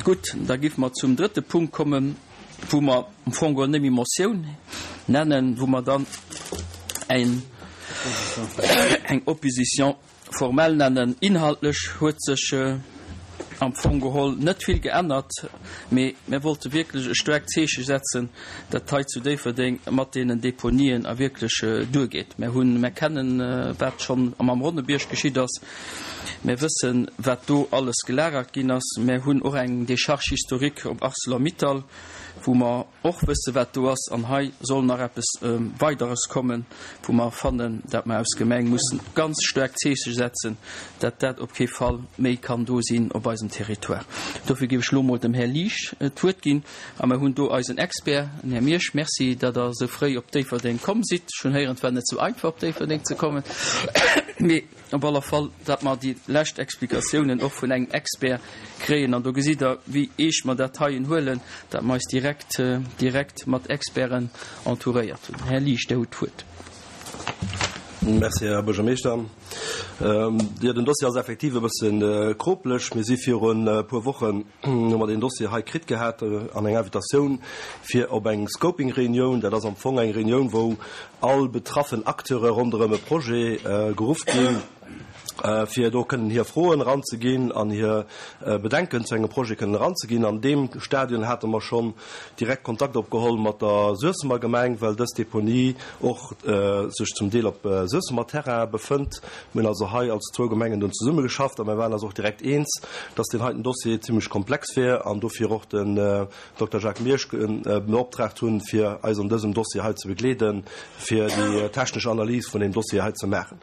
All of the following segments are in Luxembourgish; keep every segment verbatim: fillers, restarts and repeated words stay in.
Gutt, da géife mer zum drëtte Punkt kommen, wou mer am Fong geholl net méi Motioun nennen, wou mer dann eng eng Opposition formelle nennen. Inhaltlech huet sech am Fong geholl net vill geännert, mee mir wollte wierklech e staarkt Zeeche setzen, dat hei zu Déifferdeng mat deenen Deponien a wierklech duergeet. Mir hunn, mir kennen, wat schonn am Ronnebierg geschitt ass. Mir wëssen, wat do alles gelagert ginn ass. Mir hunn och eng Décharge historique op Arcelor-Mittal, wou mer och wësse wat do ass, an hei soll nach eppes Weideres kommen, wou mer fannen, dat mer aus Gemeng mussen ganz staark Zeeche setzen, dat dat op kee Fall méi kann do sinn op eisem Territoire. Dofir géif ech elo mol dem Här Liesch d'Wuert ginn, a mer hunn do eisen Expert, den Här Miersch. Merci, datt Der esou fréi op Déifferdeng komm sidd. Ech hunn héieren, et war net esou einfach op Déifferdeng ze kommen, mee op alle Fall, datt mer déi lescht Explikatiounen och vun engem Expert kréien. An do gesitt Der, wéi eescht mer dat heien huelen, datt mer eis direkt, direkt mat Experten entouréiert hunn. Här Liesch, Dir hutt d'Wuert. Merci, Här Buergermeeschter. Jo, den Dossier ass effektiv e bësse kropeleg. Mir si virun e puer Wochen, hu mer deen Dossier hei kritt gehat an eng Invitatioun fir op eng Scoping-Reunioun. Dat ass am Fong eng Reunioun, wou all betraffen Acteure ronderëm e Projet geruff ginn, fir do kënnen hir Froen eranzeginn an hir Bedenken zu engem Projet kënnen eranzeginn. An deem Stadion hate mer schonn direkt Kontakt opgeholl mat der Suessemer Gemeng, well dës Deponie och sech zum Deel op Suessemer Terrain befënnt. Mir hunn also hei als zwou Gemengen dunn zesummegeschafft a mir waren eis och direkt eens, dass deen heiten Dossier zimlech komplex wier an dofir och den Dokter Jacques Miersch beoptraagt hunn, fir eis an dësem Dossier hei ze begleeden, fir déi technesch Analys vun deem Dossier hei ze maachen.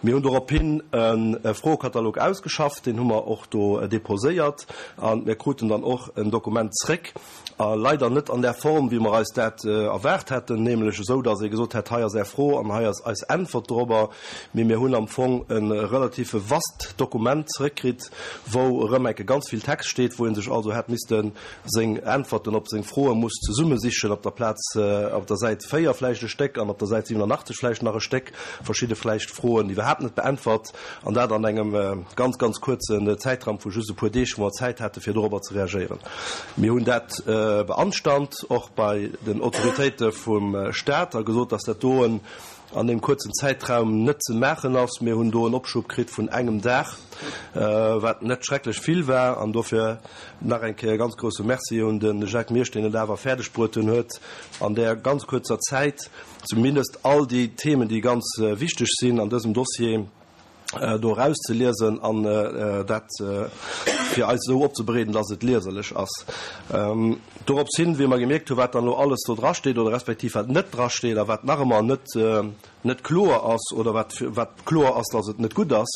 Mir hunn dorophin e Froekatalog ausgeschafft, deen hu mer och do deposéiert a mir kruten dann och en Dokument zréck, a leider net an där Form, wéi mer eis dat erwaart hätten, nämlech esou, datt ee gesot hätt, hei ass Är Fro an hei ass eis Äntwert dorobber, mee mir hunn am Fong e relative vast Dokument zréckkritt, wou erëm enke ganz vill Text steet, wou ee sech also hätt misste seng Äntwerten op seng Froe muss zesummesichen, op der Plaz, op der Säit véier vläicht e Stéck an op der Säit siwenanachtzeg vläicht nach e Stéck, verschidde vläicht Froen iwwerhaapt net beäntwert, an dat an engem ganz, ganz kuerzen Zäitraum vu just e puer Deeg, wou mer Zäit hate fir dorobber ze reagéieren. Mir hunn dat beanstand, och bei den Autoritéite vum Stat, a gesot, dass dat doen an deem kuerzen Zäitraum net ze maachen ass. Mir hunn do en Opschub kritt vun engem Dag, wat net schrecklech vill war. An dofir nach eng Kéier e ganz grouse Merci un de Jacques Miersch, deen et awer fäerdegbruet huet, an där ganz kuerzer Zäit zumindest all déi Themen, déi ganz wichteg sinn an dësem Dossier, do erauszeliesen an dat fir eis esou opzebereeden, dass et lieserlech ass. Dorops hin, wéi mer gemierkt hunn, wat dann elo alles do drasteet oder respektiv wat net drasteet a wat nach ëmmer net net kloer ass oder wat wat kloer ass, dass et net gutt ass,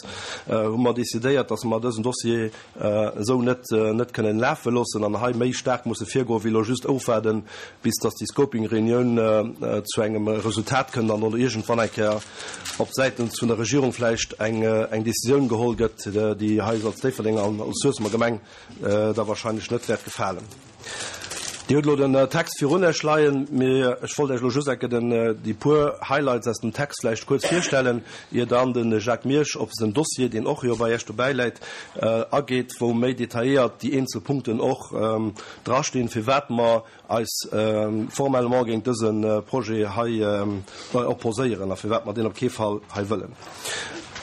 hu mer decidéiert, dass mer dësen Dossier esou net net kënnen lafe loossen an hei méi staark musse virgoen, wéi elo just ofwaarden, bis dass déi Scoping-Reunioun zu engem Resultat kënnt an dann iergendwann eng Kéier op säitens vun der Regierung vläicht eng eng Décisioun geholl gëtt, déi eis als Déifferdenger an als Suessemer Gemeng da wahrscheinlech net wäert gefalen. Dir hutt elo den Text virun Iech leien, mee ech wollt Iech elo just enke den déi puer Highlights aus dem Text vläicht kuerz virstellen, ier dann de Jacques Miersch op den Dossier, deen och jo bei Iech dobäi läit, ageet, wou méi detailléiert déi eenzel Punkten och drastinn, firwat mer eis formellement géint dëse Projet hei opposéieren a firwat mer deen op kee Fall hei wëllen.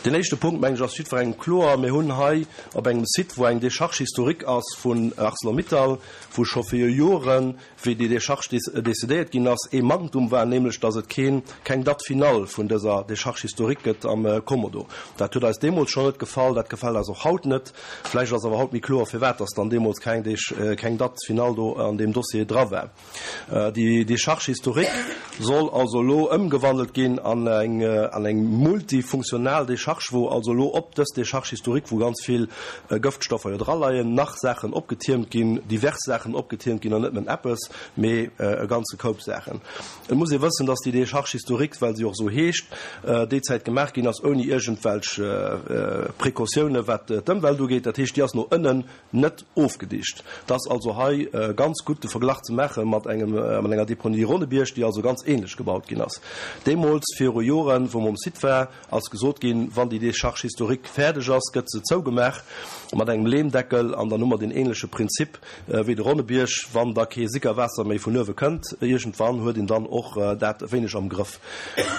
Deen éischte Punkt, mengen ech, ass jiddwerengem kloer. Mir hunn hei op engem Site, wou eng Décharge historique ass vun Arcelor-Mittal, wou scho viru Joren, wéi déi Décharge décidéiert ginn ass, ee Manktum war, nämlech datt et keen, keng Date finale vun dëser Décharge historique gëtt am Kommodo. Dat huet eis deemools schonn net gefall, dat gefält eis och haut net. Vläicht ass awer haut méi kloer, firwat datt dann deemools keng, keng Date finale do an deem Dossier dra war. Déi Décharge historique soll also elo ëmgewandelt ginn an eng an eng multifunktional Décharge, wou also elo op dës Décharge historique, wou ganz vill Gëftstoffer jo draleien, nach Saachen opgetiermt ginn, divers Saachen opgetiermt ginn an net nëmmen eppes, mee e ganze Koup Saachen. Et muss ee wëssen, dass déi Décharge historique, well se och esou heescht, déi Zäit gemaach ginn ass ouni iergendwelch Précautiounen, wat d'Ëmwelt ugeet. Dat heescht, déi ass no ënnen net ofgedicht. Et ass also hei ganz gutt de Verglach ze maache mat engem, mat enger Deponie Ronnebierg, déi also ganz ähnlech gebaut ginn ass. Deemools, viru Joren, wou mer um Site war, ass gesot ginn, wann wann déi Décharge historique fäerdeg ass, gëtt se zougemaach mat engem Leemdeckel an dann hu mer deen ähnleche Prinzip wéi de Ronnebierg, wann da kee Sickerwaasser méi vun uewe kënnt, iergendwann huet een dann och dat e wéineg am Grëff.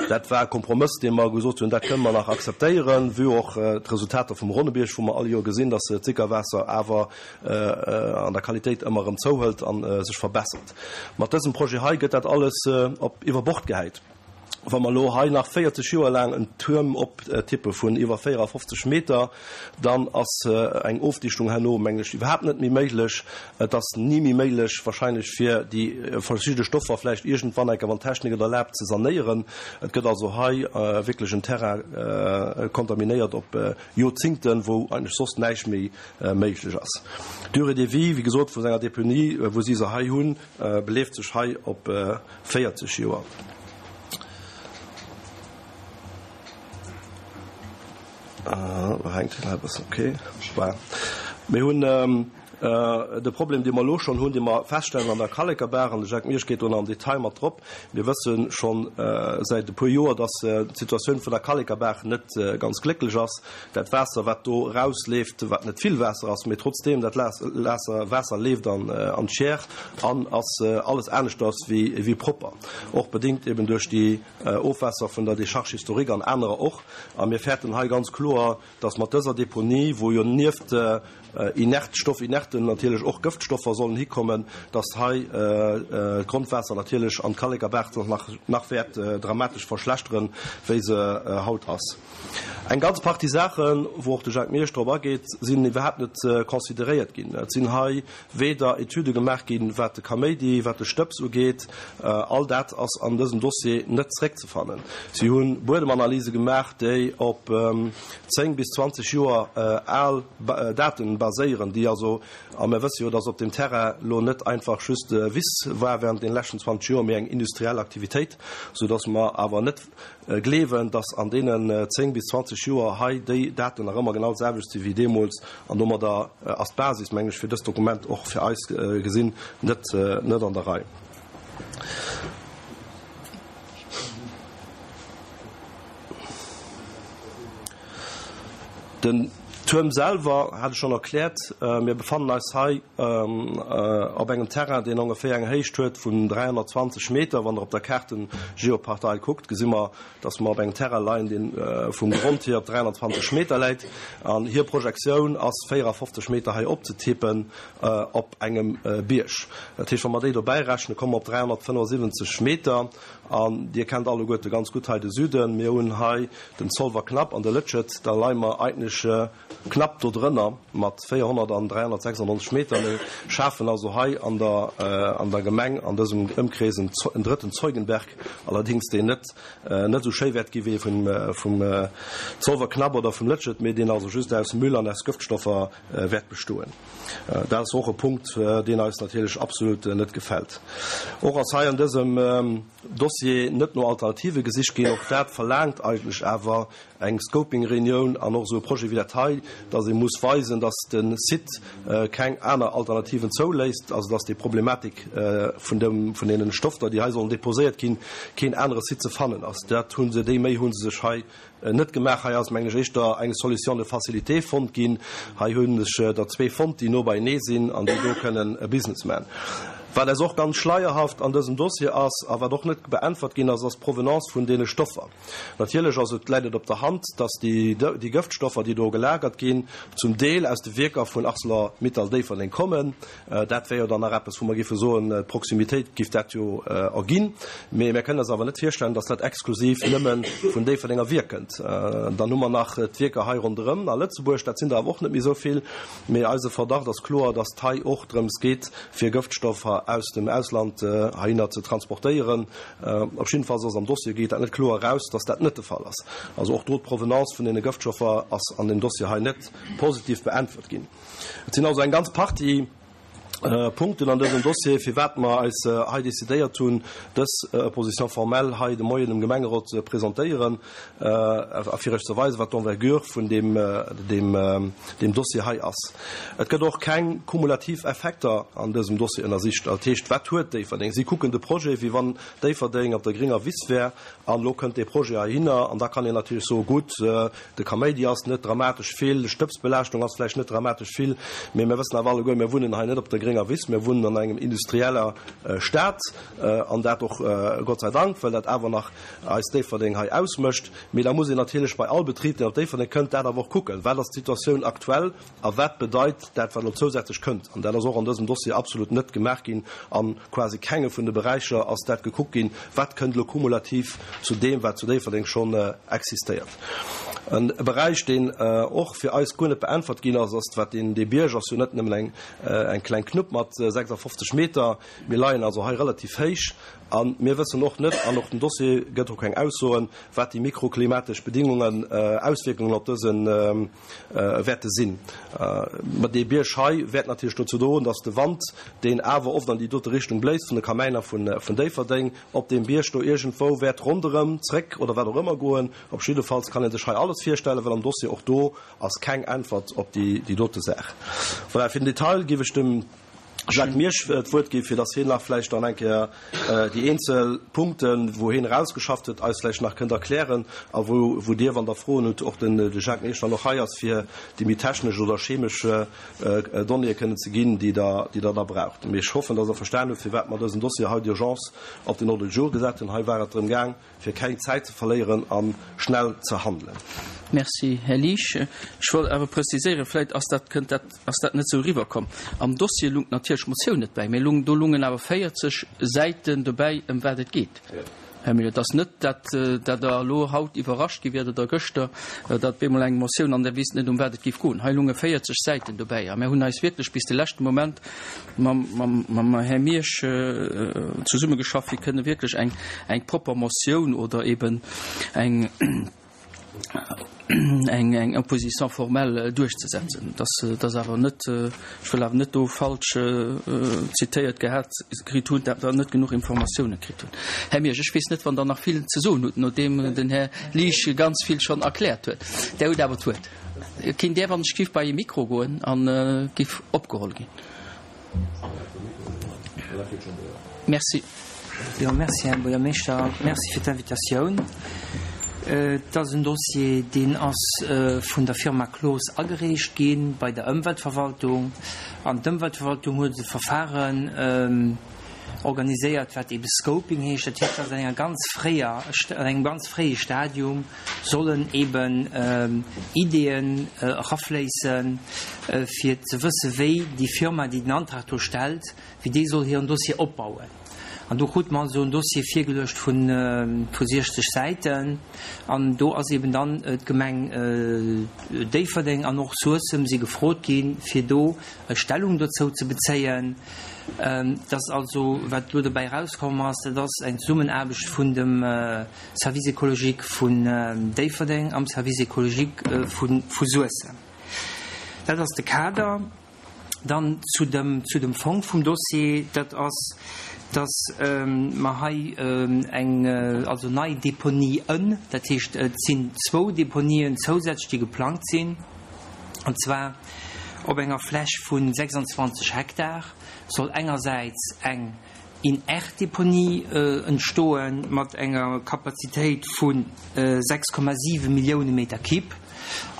Dat war e Kompromëss, dee mer gesot hunn, dat kënne mer nach akzeptéieren, vue och d'Resultater vum Ronnebierg, wou mer all Joer gesinn, dass d'Sickerwaasser awer an der Qualitéit ëmmer erëm zouhëlt a sech verbessert. Mat dësem Projet hei gëtt dat alles op iwwer Bord gehäit. Wa mer elo hei nach véierzeg Joer laang en Tuerm optippe vun iwwer véierafofzeg Meter, dann ass eng Ofdichtung herno, mengen ech, iwwerhaapt net méi méiglech. Et ass ni méi méiglech wahrscheinlech, fir déi verschidde Stoffer vläicht iergendwann eng Kéier, wann d'Technik et erlaabt, ze sanéieren. Et gëtt also hei wierklech en Terrain kontaminéiert op Joerzingten, wou eigentlech soss näischt méi méiglech ass. D'Durée de vie, wéi gesot, vu senger Deponie, wou si se hei hunn, beleeft sech hei op véierzeg Joer. Mir hunn de Problem, dee mer elo schonn hunn, dee mer feststellen an der Kallekerbaach, an de Jacques Miersch geet do nach am Detail mat drop. Mir wësse scho säit e puer Joer, dass d'Situatioun vun der Kallekerbaach net ganz glécklech ass. Dat Waasser, wat do erausleeft, wat net vill Waasser ass, mee trotzdeem, dat Waasser leeft an d'Schier an ass alles aneschters wéi propper, och bedéngt eben duerch déi Ofwässer vun der Décharge historique an anerer och. A mir fäerten hei ganz kloer, dass mat dëser Deponie, wou jo nieft inert, Stoffinerten natierlech och Gëftstoffer sollen hikommen, dass hei d'Grondwaasser natierlech an d'Kallekerbaach sech nach, nach wäert dramatesch verschlechteren, wéi se haut ass. Eng ganz Partie Saachen, wou och de Jacques Miersch drop ageet, sinn iwwerhaapt net consideréiert ginn. Et sinn hei weder Etüde gemaach ginn, wat de Kaméidi, wat de Stëbs ugeet. All dat ass an dësem Dossier net zréckzefannen. Si hu Buedemanalyse gemaach, déi op zéng bis zwanzeg Joer al Daten baséieren, déi also, a mir wësse jo, dass op deem Terrain elo net einfach just Wiss war während deene leschten zwanzeg Joer, mee eng industriell Aktivitéit, soudass mer awer net gleewen, dass an deenen zéng bis zwanzeg Joer hei déi Daten nach ëmmer genau d'selwecht si wéi deemools. An domadder ass d'Basis, mengen ech, fir dëst Dokument och fir eis gesinn net net an der Rei. Den Tuerm selwer hat ech schonn erkläert. Mir befannen eis hei op engem Terrain, deen ongeféier eng Héicht huet vun dräihonnertzwanzeg Meter. Wann Der op der Kaart den Geoportail kuckt, gesi mer, dass mer op engem Terrain leien, dee vum Grond hier op dräihonnertzwanzeg Meter läit. An hir Projektioun ass véierafofzeg Meter hei opzetippen op engem Bierg. Dat heescht, wa mer déi dobäi rechnen, komme mer op dräihonnertfënnefundsiwwenzeg Meter. An Dir kennt alleguerte ganz gutt hei de Süden. Mir hunn hei den Zolwer Knapp an de Lëtschet. Da leie mer eigentlech knapp do drënner mat véierhonnert an dräihonnertsechsundneunzeg Meter. Mir schafen also hei an der, an der Gemeng an dësem Ëmkrees en, en drëtten Zeugenberg, allerdéngs deen net, net esou schéi wäert gi wéi vum, vum Zolwer Knapp oder vum Lëtschet, mee deen also just aus Müll an aus Gëftstoffer wäert bestoen. Dat ass och e Punkt, deen eis natierlech absolut net gefält. Och ass hei an dësem Dossier net no Alternative gesicht ginn. Och dat verlaangt eigentlech awer eng Scoping-Reunioun an och esou e Projet wéi dat hei, dass ee muss weisen, dass de Site keng aner Alternativen zouléisst, also dass déi Problematik vun dem, vun deenen Stoffer, déi hei sollen deposéiert ginn, keen anere Site ze fannen ass. Dat hu se, déi Méi hu se sech hei net gemaach. Hei ass, mengen ech, éischter eng Solution de facilité fonnt ginn. Hei hu sech der zwee fonnt, déi no beienee sinn an déi do kënnen e Business man. Wat eis och ganz schleierhaft an dësem Dossier ass a wat och net beäntwert ginn ass, ass d'Provenance vun deene Stoffer. Natierlech ass et, läit et op der Hand, dass déi, déi Gëftstoffer, déi do gelagert ginn, zum Deel aus de Wierker vun Arcelor-Mittal Déifferdeng kommen. Dat wär jo dann nach eppes, wou mer géife soen, d'Proximitéit géif dat jo erginn. Mee mir kënnen eis awer net virstellen, dass dat exklusiv nëmme vun Déifferdenger Wierk kënnt. Dann hu mer nach d'Wierker hei ronderëm a Lëtzebuerg, dat sinn der awer och net méi esou vill. Mee eise Verdacht ass kloer, dass et hei och drëms geet, fir Gëftstoffer aus dem Ausland heihinner ze transportéieren. Op jiddefalls ass am Dossier, geet dat net kloer eraus, dass dat net de Fall ass. Also och do d'Provenance vun deene Gëftstoffer ass an deem Dossier hei net positiv beäntwert ginn. Et sinn also eng ganz Partie Punkten an dësem Dossier, firwat mer eis hei decidéiert hunn, dës Opposition formelle hei de Moien dem Gemengerot ze presentéieren a fir iech ze weisen, wat d'Envergure vun deem, deem, deem Dossier hei ass. Et gëtt och keng kumulativ Effekter an dësem Dossier ënnersicht. Dat heescht, wat huet Déifferdeng? Si kucken de Projet, wéi wann Déifferdeng op der gringer Wiss wär an elo kënnt dee Projet heihinner an da kann een natierlech soen, gutt, de Kaméidi ass net dramatesch vill, d'Stëbsbelaaschtung ass vläicht net dramatesch vill, mee mir wëssen awer alleguer, mir wunnen hei net op der gringer Wiss, mir wunnen an engem industrieller Stad an dat och Gott sei Dank, well dat awer nach eis Déifferdeng hei ausmécht. Mee da muss een natierlech bei all Betrib, deen op Déifferdeng kënnt, dat awer och kucken, Wat ass d'Situatioun aktuell a wat bedeit dat, wat elo zousätzlech kënnt? An dat ass och an dësem Dossier absolut net gemaach ginn. A quasi kenge vun de Beräicher ass dat gekuckt ginn, wat kënnt elo kumulativ zu deem, wat zu Déifferdeng schonn existéiert. E Beräich, deen och fir eis guer net beäntwert ginn ass, ass wat deen, dee Bierg ass jo net nëmmen eng, eng kleng Knupp mat sechsafofzeg Meter. Mir leien also hei relativ héich a mir wëssen och net, an och den Dossier gëtt och keng Aussoen, wat déi mikroklimatesch Bedingungen, Auswierkungen op dëse wäerte sinn. Mä dee Bierg hei wäert natierlech dozou droen, datt de Wand, deen awer oft an déi dote Richtung bléist, vun de Kamäiner vun Déifferdeng, op deem Bierg do iergendwou wäert ronderëm, zréck oder wat och ëmmer goen. Op jiddefalls kann ee sech hei alles virstellen, well am Dossier och do ass keng Äntwert op déi dote Saach. Voilà, fir den Detail géif ech dem Jacques Miersch d'Wuert ginn, fir dass hien nach vläicht dann eng Kéier déi eenzel Punkten, wou hien erausgeschafft huet, eis vläicht nach kënnt erklären a wou, wou Dir, wann Der Froen hutt, och den de Jacques Miersch dann och hei ass, fir déi méi technesch oder chemesch Donnéeë kënnen ze ginn, déi Der, déi Der da braucht. Mee ech hoffen, dass Der verstan hutt, firwat mer dësen Dossier hei d'urgence op den Ordre du jour gesat hunn. Hei war et drëm gaang, fir keng Zäit ze verléieren a schnell ze handelen. Merci, Här Liesch. Ech wollt awer preziséieren, vläicht ass dat, kënnt dat, ass dat net esou eriwwerkomm. Am Dossier lung natierlech d'Motioun net bäi, mee lung, do lungen awer véierzeg Säiten dobäi, ëm wat et geet. Här Mille, et ass net, dat, dat Der elo haut iwwerrascht gi wiert oder gëschter, datt bemol eng Motioun an Der wisst net, ëm wat et géif goen. Hei lunge véierzeg Säiten dobäi a mir hunn eis wierklech bis de leschte Moment mam, mam, mam Här Miersch zesummegeschafft, fir kënne wierklech eng, eng propper Motioun oder eben eng, eng, eng Opposition formelle duerchzesetzen. Dat, dat ass awer net, ech wëll awer net do falsch zitéiert gehat kritt hunn, dat der net genuch Informatioune kritt hunn. Här Miersch, ech weess net, wann Der nach vill ze soen hutt, nodeem den Här Liesch ganz vill schonn erkläert huet. Der hutt awer d'Wuert. Kinnt Där, wann ech giff, bei e Mikro goen an giff opgeholl ginn? Merci. Jo, merci, Här Buergermeeschter. Merci fir d'Invitatioun. Et ass en Dossier, deen ass vun der Firma Cloos agereecht gi bei der Ëmweltverwaltung. An d'Ëmweltverwaltung huet e Verfahren organiséiert, wat eebe Scoping heescht. Dat heescht, dass an enger ganz fréier, an engem ganz fréie Stadium sollen eeben Ideeën erafléissen, fir ze wësse wéi déi Firma, déi den Antrag do stellt, wéi déi soll hiren Dossier opbauen. An do krute mer also en Dossier virgeluecht vu siechzeg Säiten. An do ass eben dann d'Gemeng Déifferdeng an och Suessem si gefrot ginn, fir do Stellung dozou ze bezéien. Dat ass also, wat elo dobäi erauskomm ass, dat ass eng Zesummenaarbecht vun dem Service écologique vun Déifferdeng am Service écologique vu Suessem. Dat ass de Kader. Dann zu dem, zu dem Fong vum Dossier, dat ass, dass mer hei eng, also nei Deponien, dat heescht, et sinn zwou Deponien zousätzlech, déi geplangt sinn, an zwar op enger Fläch vu sechsundzwanzeg Hektar soll engersäits eng Inertdeponie entstoe mat enger Kapazitéit vu sechs Komma siwe Millioune Meter Kibb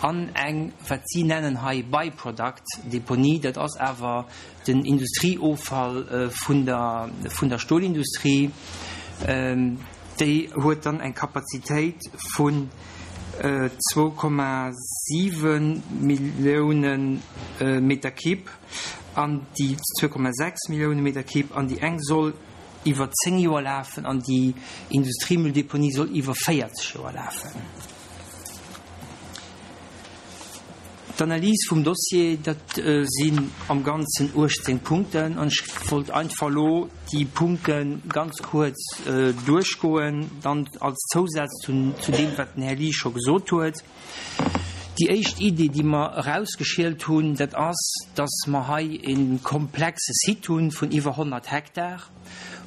an eng, wat si nennen hei Byproduct-Deponie, dat ass awer den Industrieoffall vun der, vun der Stolindustrie, déi huet dann eng Kapazitéit vun zwou Komma siwe Millioune Meter Kibb an déi zwou Komma sechs Millioune Meter Kibb an déi eng soll iwwer zéng Joer lafen an déi Industriemülldeponie soll iwwer véierzeg Joer lafen. D'Analys vum Dossier, dat sinn am Ganzen uechtzéng Punkten an ech wollt einfach elo déi Punkte ganz kuerz duerchgoen, dann als Zousaz zu deem, wat den Här Liesch scho gesot huet. Déi éischt Idee, déi mer erausgeschielt hunn, dat ass, dass mer hei e komplexe Site hunn vun iwwer honnert Hektar,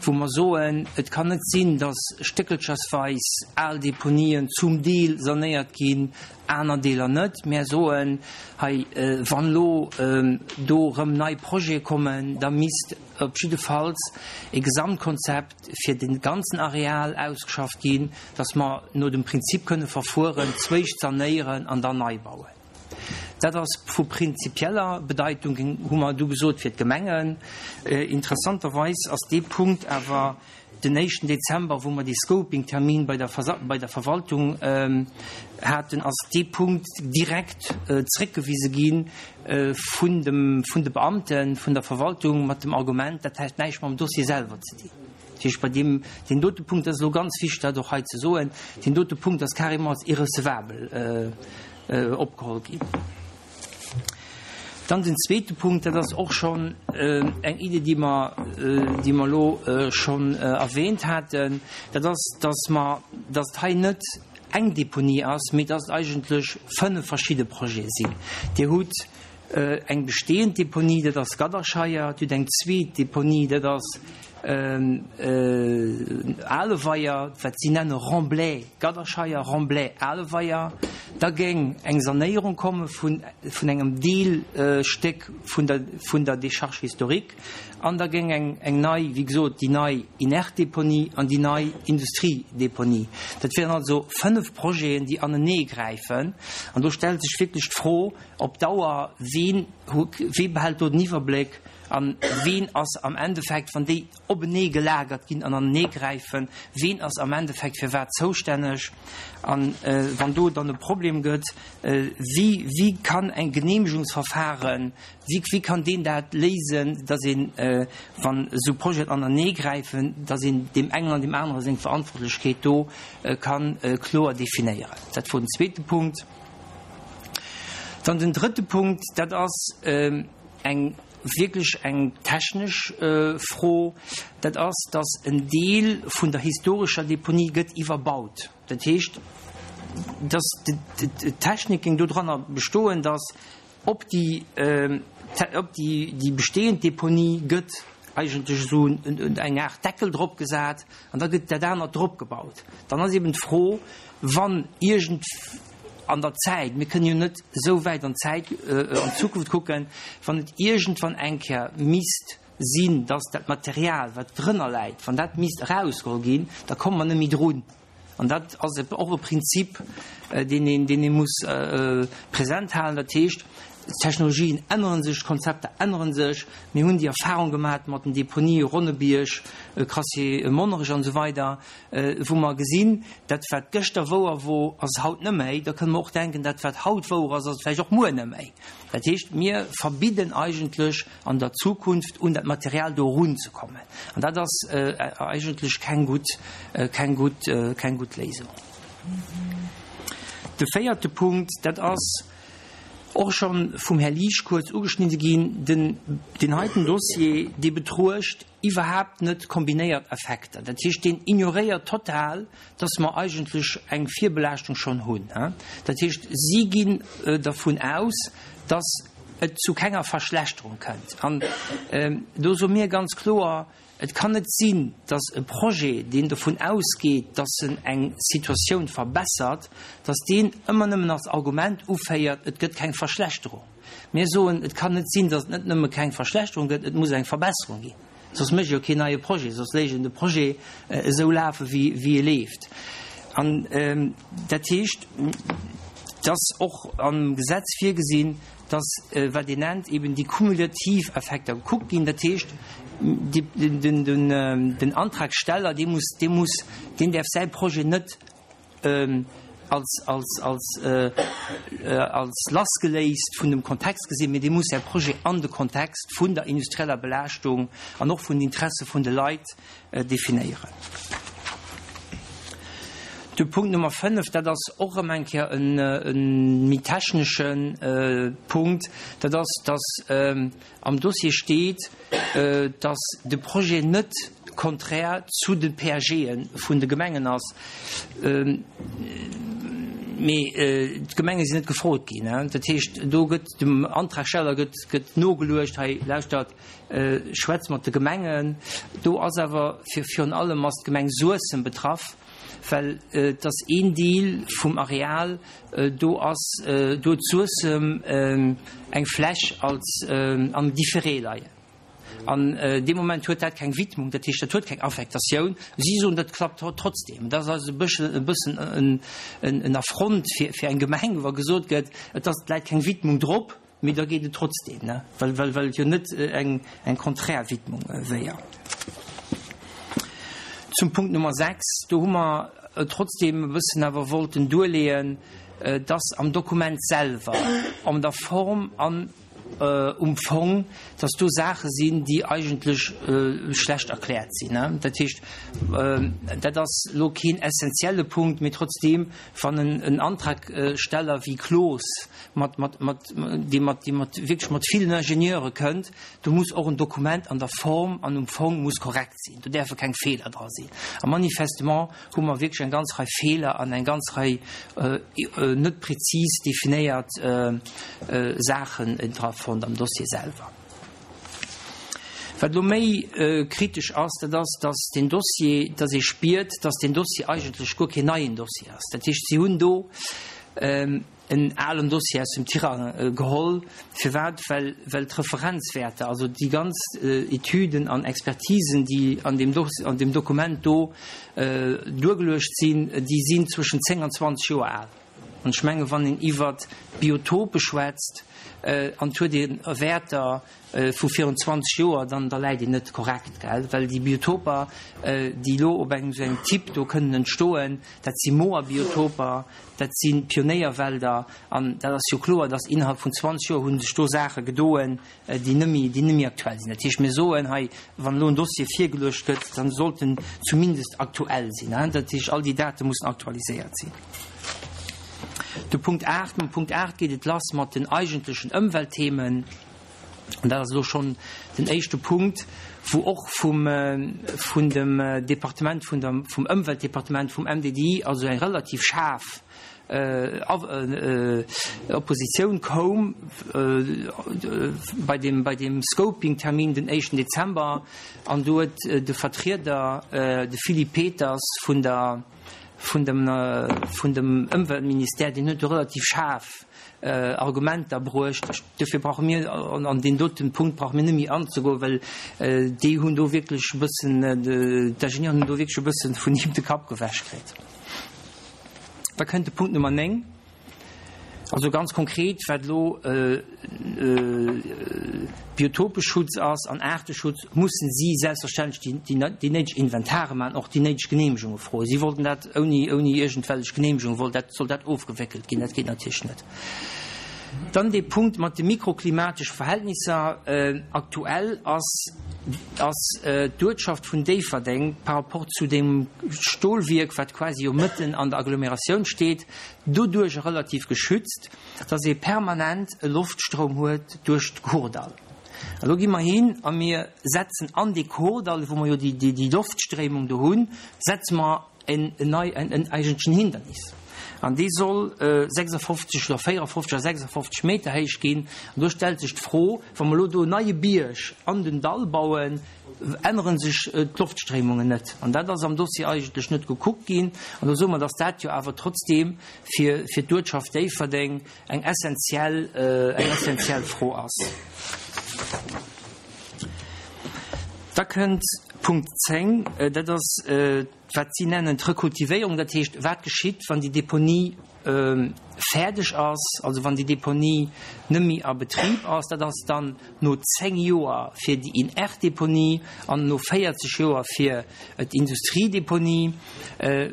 wou mer soen, et kann net sinn, dass stéckelchersweis al Deponien zum Deel sanéiert ginn, aner Deeler net. Mär soen hei, wann elo do erëm nei Projete kommen, da misst op jiddefalls e Gesamtkonzept fir de ganzen Areal ausgeschafft ginn, dass mer no dem Prinzip kënne verfueren, zwéischt sanéieren an dann nei bauen. Dat ass vu prinzipieller Bedeitung, hu mer du gesot, fir d'Gemengen. Interessanterweis ass dee Punkt awer den éischten Dezember, wou mer dee Scoping-Termin bei der bei der Verwaltung haten, ass dee Punkt direkt zréckgewise gi vun dem vun de Beamte vun der Verwaltung mat dem Argument, dat hätt näischt mam Dossier selwer ze dinn. Dat heescht, bei deem, deen dote Punkt, dat ass elo ganz wichteg, dat och hei ze soen, deen dote Punkt ass carrément als irrecevabel opgeholl ginn. Dann den zweete Punkt, dat ass och schonn eng Idee, déi mer, déi mer elo schonn erwähnt haten, dat ass, dass mer, dass et hei net eng Deponie ass, mee dass et eigentlech fënnef verschidde Projete sinn. Dir hutt eng bestehend Deponie, dat ass Gadderscheier, Dir hutt eng zweet Deponie, dat ass Aleweier, wat si nenne Remblai Gadderscheier, Remblai Aleweier. Da géing eng Sanéierung komme vun engem Deelstéck vun der vun der Décharge historique an da géing eng eng nei, wéi gesot, déi nei Inertdeponie an déi nei Industriedeponie. Dat wären also fënnef Projeten, déi aneneegräifen. An do stellt sech wierklech d'Fro op Dauer, Ween wee behält do den Iwwerbléck? A ween ass am Endeffekt, wann déi openee gelagert ginn an aneneegräifen, ween ass am Endeffekt fir wat zoustänneg? A wann do dann e Problem gëtt, wéi, wéi kann eng Genehmegungsverfahren, wéi, wéi kann deen dat léisen, dass een, wann esou Projeten aneneegräifen, dass een deem engen an deem anere seng Verantwortlechkeet do ka kloer definéieren? Dat wor den zweete Punkt. Dann den drëtte Punkt, dat ass eng wierklech eng technesch Fro, dat ass, dass en Deel vun der historescher Deponie gëtt iwwerbaut. Dat heescht, dass d'Technik géing dodranner bestoen, dass op déi, op déi bestehend Deponie gëtt eigentlech esou eng Aart Deckel drop gesat an da gëtt dat anert drop gebaut. Dann ass eben d'Fro, wann iergend an der Zäit, mir kënnen jo net esou wäit an d'Zäit, an d'Zukunft kucken, wann et iergendwann eng Kéier misst sinn, dass dat Material, wat drënner läit, wann dat misst erausgeholl ginn, da komme mer net méi drun. An dat ass och e Prinzip, deen een, deen ee muss present halen. Dat heescht, d'Technologien ännere sech, d'Konzepter ännere sech. Mir hunn déi Erfahrung gemaach mat den Deponië Ronnebierg, Crassier Monnerech an esou weider, wou mer gesinn, dat wat gëschter wouer wor, ass haut net méi. Da kënne mer och denken, dat wat haut wouer ass, ass et vläicht och muer net méi. Dat heescht, mir verbidden eigentlech an der Zukunft un dat Material do erunzekommen. An dat ass eigentlech keng gutt, keng gutt, keng gutt Léisung. De véierte Punkt, dat ass och scho vum Här Liesch kuerz ugeschnidde ginn, den, deen heiten Dossier, dee betruecht iwwerhaapt net kombinéiert Effekter. Dat heescht, deen ignoréiert total, dass mer eigentlech eng Virbelaaschtung schonn hunn. Dat heescht, si ginn dervun aus, dass et zu kenger Verschlechterung kënnt. An do soe mir ganz kloer, Et kann net sinn, dass e Projet, deen dovun ausgeet, dass en eng Situatioun verbessert, dass deen ëmmer nëmmen als Argument uféiert, et gëtt keng Verschlechterung. Mir soen, et kann net sinn, dass et net nëmme keng Verschlechterung gëtt, et muss eng Verbesserung ginn. Soss mécht ee jo keen neie Projet, soss léisst een de Projet esou lafe wéi e leeft. An dat heescht, et ass och am Gesetz virgesinn, dass, wat een nennt, eben déi kumulativ Effekter gekuckt ginn. Dat heescht, den Antragsteller, dee muss, dee muss, deen däerf säi Projet net als, als, als, als lassgeléist vun dem Kontext gesinn, mee dee muss säi Projet an de Kontext vun der industrieller Belaaschtung an och vun den Interesse vun de Leit definéieren. De Punkt Nummer fënnef, dat ass och erëm eng Kéier e méi technesche Punkt, dat ass, dass am Dossier steet, dass de Projet net konträr zu de P A G'e vun de Gemengen ass. Mee d'Gemenge sinn net gefrot ginn. Dat heescht, do gëtt dem Antragsteller gëtt, gëtt nogeluecht, hei lauschtert, schwätzt mat de Gemengen. Do ass awer fir, virun allem ass d'Gemeng Suessem betraff, well et ass een Deel vum Areal, do ass, do huet Suessem eng Fläch als am Différé leien. An dee Moment huet dat keng Widmung, dat heescht, dat huet keng Affektatioun. Si soen, dat klappt trotzdem. Dat ass also e bëssen en Affront fir, fir eng Gemeng, wa gesot gëtt, et ass, et läit keng Widmung drop, mee da geet et trotzdem, ne, well, well, well et jo net eng, eng konträr Widmung wéier. Zum Punkt Nummer sechs, do hu mer trotzdem e bëssen awer wollten duerleeën, dass am Dokument selwer, an der Form an um Fong, dass do Saache sinn, déi eigentlech schlecht erkläert sinn. Dat heescht, dat ass elo keen essentielle Punkt, mee trotzdeem, wann en Antragsteller wéi Cloos mat, mat, mat, dee mat, dee mat wierklech mat villen Ingenieure kënnt, do muss och en Dokument an der Form an um Fong muss korrekt sinn. Do däerfe keng Feeler dra sinn. A manifestement hu mer wierklech eng ganz Rei Feeler an eng ganz Rei net prezis definéiert Saachen dra fonnt am Dossier selwer. Wat elo méi kritesch ass, dat ass, dass deen Dossier, dass ee spiert, dass deen Dossier eigentlech guer keen neien Dossier ass. Dat heescht, si hunn do en alen Dossier aus dem Tirang geholl. Firwat? Well, well d'Referenzwäerter, also déi ganz Etüden an Expertisen, déi an deem Dos-, an deem Dokument do duergeluecht sinn, déi sinn zwëschen zéng an zwanzeg Joer al. An ech menge wann een iwwert Biotope schwätzt an et huet ee Wäerter vu virun zwanzeg Joer, dann da läit een net korrekt, gell? Well déi Biotoper, déi elo op engem esou engem Typ do kënnen entstoen, dat si Moerbiotoper, dat si Pionéierwälder an dat ass jo kloer, datt innerhalb vun zwanzeg Joer hu sech do Saache gedoen, déi net méi, déi net méi aktuell sinn. Dat heescht, mir soen hei, wann elo en Dossier virgeluecht gëtt, dann sollt en zumindest aktuell sinn. Dat heescht, all déi Date mussen aktualiséiert sinn. De Punkt aacht, Mam Punkt aacht geet et lass mat den eigentlechen Ëmweltthemen. An dat ass elo schonn den éischte Punkt, wou och vum, vun dem Departement, vun der, vum Ëmweltdepartement, vum M D D I, also eng relativ schaarf Oppositioun koum bei dem, bei dem Scoping-Termin den éischten Dezember. An do huet de Vertrieder, de Philippe Peters vun der, vun dem, vun dem Ëmweltministère, deen huet do relativ schaarf Argumenter bruecht. Dofir brauche mir an deen doten Punkt brauche mir net méi anzegoen, well déi hunn do wierklech e bëssen, d'Ingenieuren hunn do wierklech e bëssen vun him de Kapp gewäsch kritt. Da kënnt de Punkt Nummer néng. Also ganz konkret, wat elo Biotopeschutz ass an Aarteschutz, mussen si selbstverständlech déi, déi, déi néideg Inventare maachen, och déi néideg Genehmegunge froen. Si wollten dat ouni, ouni iergendwellech Genehmegung, wollt dat, soll dat ofgewéckelt ginn. Dat geet natierlech net. Dann dee Punkt mat de mikroklimatesche Verhältnisser. Aktuell ass, ass d'Uertschaft vun Déifferdeng par rapport zu dem Stolwierk, wat quasi jo mëtten an der Agglomeratioun steet, doduerch relativ geschützt, dass ee permanent e Loftstroum huet duerch d'Kordall. A lo gi mer hin a mir setzen an dee Kordall, wou mer jo déi, déi, déi Loftstréimung do hunn, setze mer en, en nei, en, en eigentlechen Hindernis. An dee soll sechsundfünfzig oder vierundfünfzig oder sechsundfünfzig Meter héich ginn. An do stellt sech d'Fro, wa mer elo do en neie Bierg an den Dall bauen, änneren sech d'Loftstréimungen net. An dat ass am Dossier eigentlech net gekuckt ginn. An do soe mer, dass dat jo awer trotzdem fir, fir d'Uertschaft Déifferdeng eng essentiell, eng essentiell Fro ass. Da kënnt Punkt zéng, dat ass, wat si nennen d'Rekultivéierung, dat heescht, wat geschitt, wann déi Deponie fäerdeg ass, also wann déi Deponie net méi a Betrib ass, dat ass dann no zéng Joer fir déi Inertdeponie an no véierzeg Joer fir d'Industriedeponie.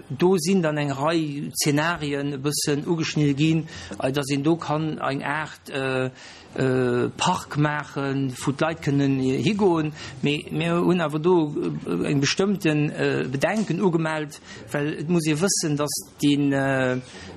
Do sinn dann eng Rei Zenarien e bëssen ugeschnidde ginn, dass een do kann eng Aart Park maachen, wou d'Leit kënnen higoen. Mee mir hunn awer do eng bestëmmte Bedenken ugemellt, well et muss ee wëssen, dass den,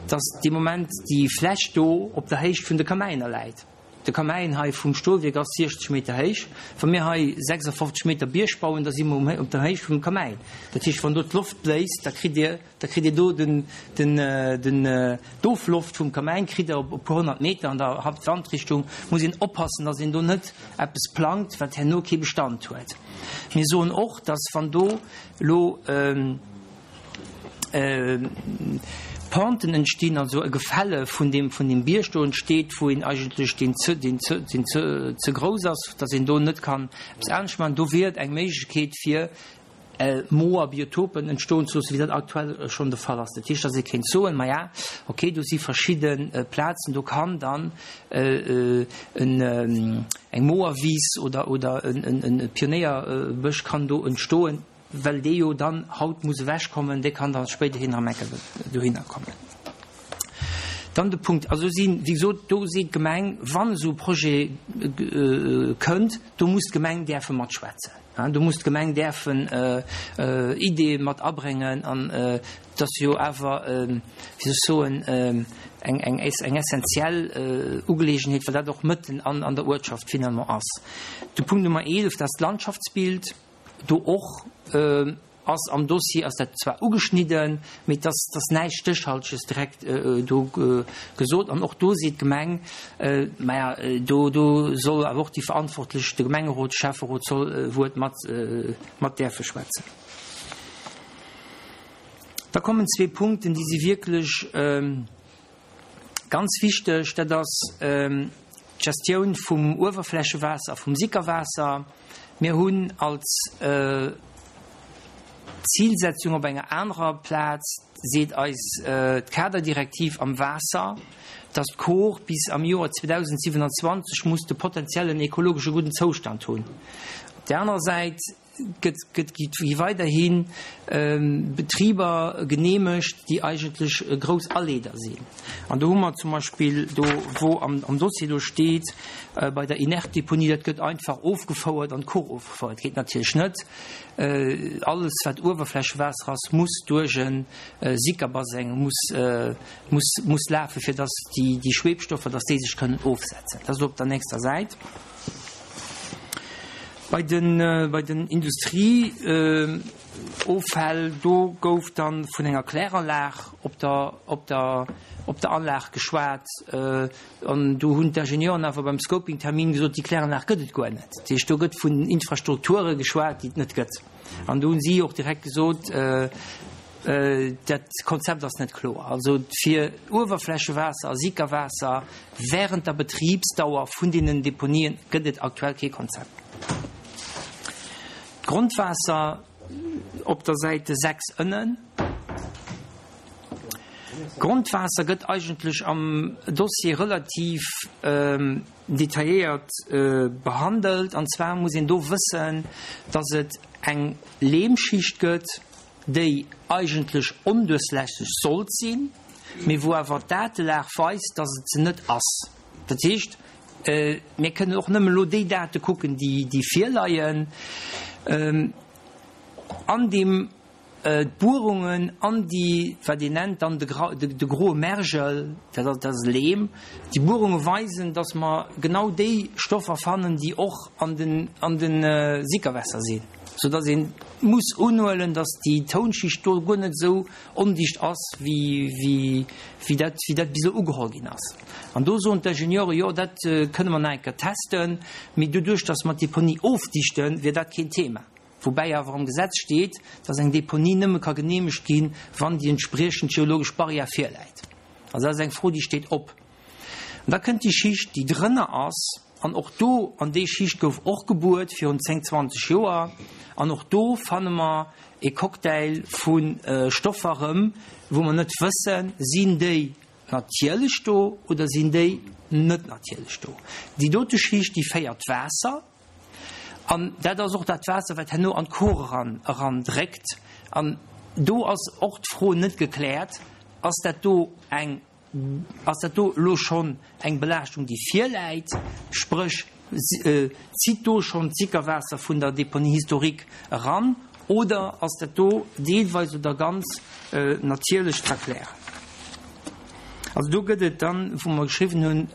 dass dee Moment déi Fläch do op der Héicht vun de Kamäiner läit. De Kamäin hei vum Stolwierk ass siechzeg Meter héich. Wa mir hei sechsafofzeg Meter Bierg bauen, da si mer um, op der Héicht vum Kamäin. Dat heescht, wann do d'Loft bléist, da kritt Dir, da kritt Dir do den, den, den, d'Ofloft vum Kamäin kritt Der op e puer honnert Meter an der Hauptwandrichtung. Muss een oppassen, dass een do net eppes plangt, wat herno kee Bestand huet. Mir soen och, dass wann do elo Penten entstinn, also e Gefälle vun deem, vun deem Bierg do entsteet, wou een eigentlech deen ze, deen ze, deen ze, ze grouss ass, dass een do net kann eppes anescht maachen. Do wier et eng Méiglechkeet fir Moer, Biotopen entstoen ze loossen, wéi dat aktuell schonn de Fall ass. Dat heescht, dass ee kéint soen, Maja, okay, do si verschidde Plazen, do kann dann eng Moerwiss oder, oder e Pionéierbësch kann do entstoen, well dee jo dann haut muss ewechkommen, dee kann da spéiderhin erëm eng Kéier dohinner kommen. Dann de Punkt, also sinn, wéi gesot, do seet d'Gemeng, wann esou e Projet kënnt, do muss d'Gemeng däerfe matschwätzen, do muss d'Gemeng däerfen Ideeë mat abréngen an et ass jo awer, wéi soll ech soen, eng, eng, eng essenziell Ugeleegenheet, well dat och mëtten an, an der Uertschaft finalement ass. De Punkt Nummer eelef, dat ass d'Landschaftsbild. Do och ass am Dossier ass dat zwar ugeschnidden, mee et ass, et ass näischt Stéchhalteges direkt do gesot. An och do seet d'Gemeng, maja, do, do soll awer och déi Verantwortlech, de Gemengerot, de Schäfferot soll e Wuert mat, mat däerfe schwätzen. Da kommen zwee Punkten, déi si wierklech ganz wichteg. Dat ass d'Gestioun vum Uewerflächewaasser a vum Sickerwaasser. Mir hunn als Zilsetzung op enger anerer Plaz, seet eis d'Kaderdirektiv am Waasser, dass d'Kor bis am Joer zweedausendsiewenanzwanzeg muss de potenziellen ekologesche gudden Zoustand hunn. Op där anerer Säit gëtt, gëtt, gi weiderhi Betriber geneemegt, déi eigentlech grouss Aleeder sinn. An do hu mer zum Beispill do, wou am, am Dossier do steet, bei der Inertdeponie, dat gëtt einfach ofgefouert, an d'Kor ofgefouert. Geet natierlech net. Alles, wat Uewerflächewaasser ass, muss duerch e Sickerbaseng muss, muss, muss lafen, fir dass déi, déi Schwebstoffer, dass déi sech kënnen ofsetzen. Dat ass op der nächster Säit. Bei den, bei den Industrieoffäll, do gouf dann vun enger Kläranlag op der, op der, op der Anlag geschwat. An do hunn d'Ingenieuren awer beim Scoping-Termin gesot, déi Kläranlag gëtt et guer net. Dat heescht, do gëtt vun Infrastrukture geschwat, déi et net gëtt. An do hunn si och direkt gesot, Dat Konzept ass net kloer. Also fir Uewerflächewaasser a Sickerwaasser während der Betribsdauer vun deenen Deponien gëtt et aktuell kee Konzept. D'Grondwaasser op der Säite sechs ënnen. D'Grondwaasser gëtt eigentlech am Dossier relativ detailléiert behandelt. An zwar muss een do wëssen, dass et eng Lehmschicht gëtt, déi eigentlech onduerchlässeg sollt sinn, mee wou awer d'Datelag weist, dass et se net ass. Dat heescht, mir kënnen och nëmmen elo déi Date kucken, déi virleien. An deem d'Buerungen an déi, wat een nennt dann de groe Mergel, dat ass Leem, déi Buerunge weisen, dass mer genau déi Stoffer fannen, déi och an de Sickerwässer sinn. Sou dass ee muss unhuelen, dass déi Tounschicht do guer net esou ondicht ass, wéi dat bis elo ugeholl ginn ass. An do soen d'Ingenieure, jo, dat kënne mer nach eng Kéier testen, mee doduerch, dass mer d'Deponie ofdichten, wier dat keen Thema. Woubäi awer am Gesetz steet, dass eng Deponie nëmme ka geneemegt ginn, wann déi entspriechend geologesch Barrière virläit. Also dat ass eng Fro, déi steet op. An da kënnt déi Schicht, déi drënner ass. An och do, an déi Schicht gouf och gebuert virun zéng, zwanzeg Joer, an och do fanne mer e Cocktail vu Stoffer erëm, wou mer net wëssen, sinn déi natierlech do oder sinn déi net natierlech do. Déi dote Schicht, déi féiert d'Waasser, an dat ass och dat Waasser, wat herno an d'Kor eran, erandréckt. An do ass och d'Fro net gekläert, ass dat do eng Ass dat do elo schonn eng Belaaschtung, déi virläit, spréch zitt do schonn d'Sickerwaasser vun der Deponie historique eran, oder ass dat do deelweis oder ganz natierlech z'erklären? Also do gëtt et dann, wou mer geschriwwen hunn,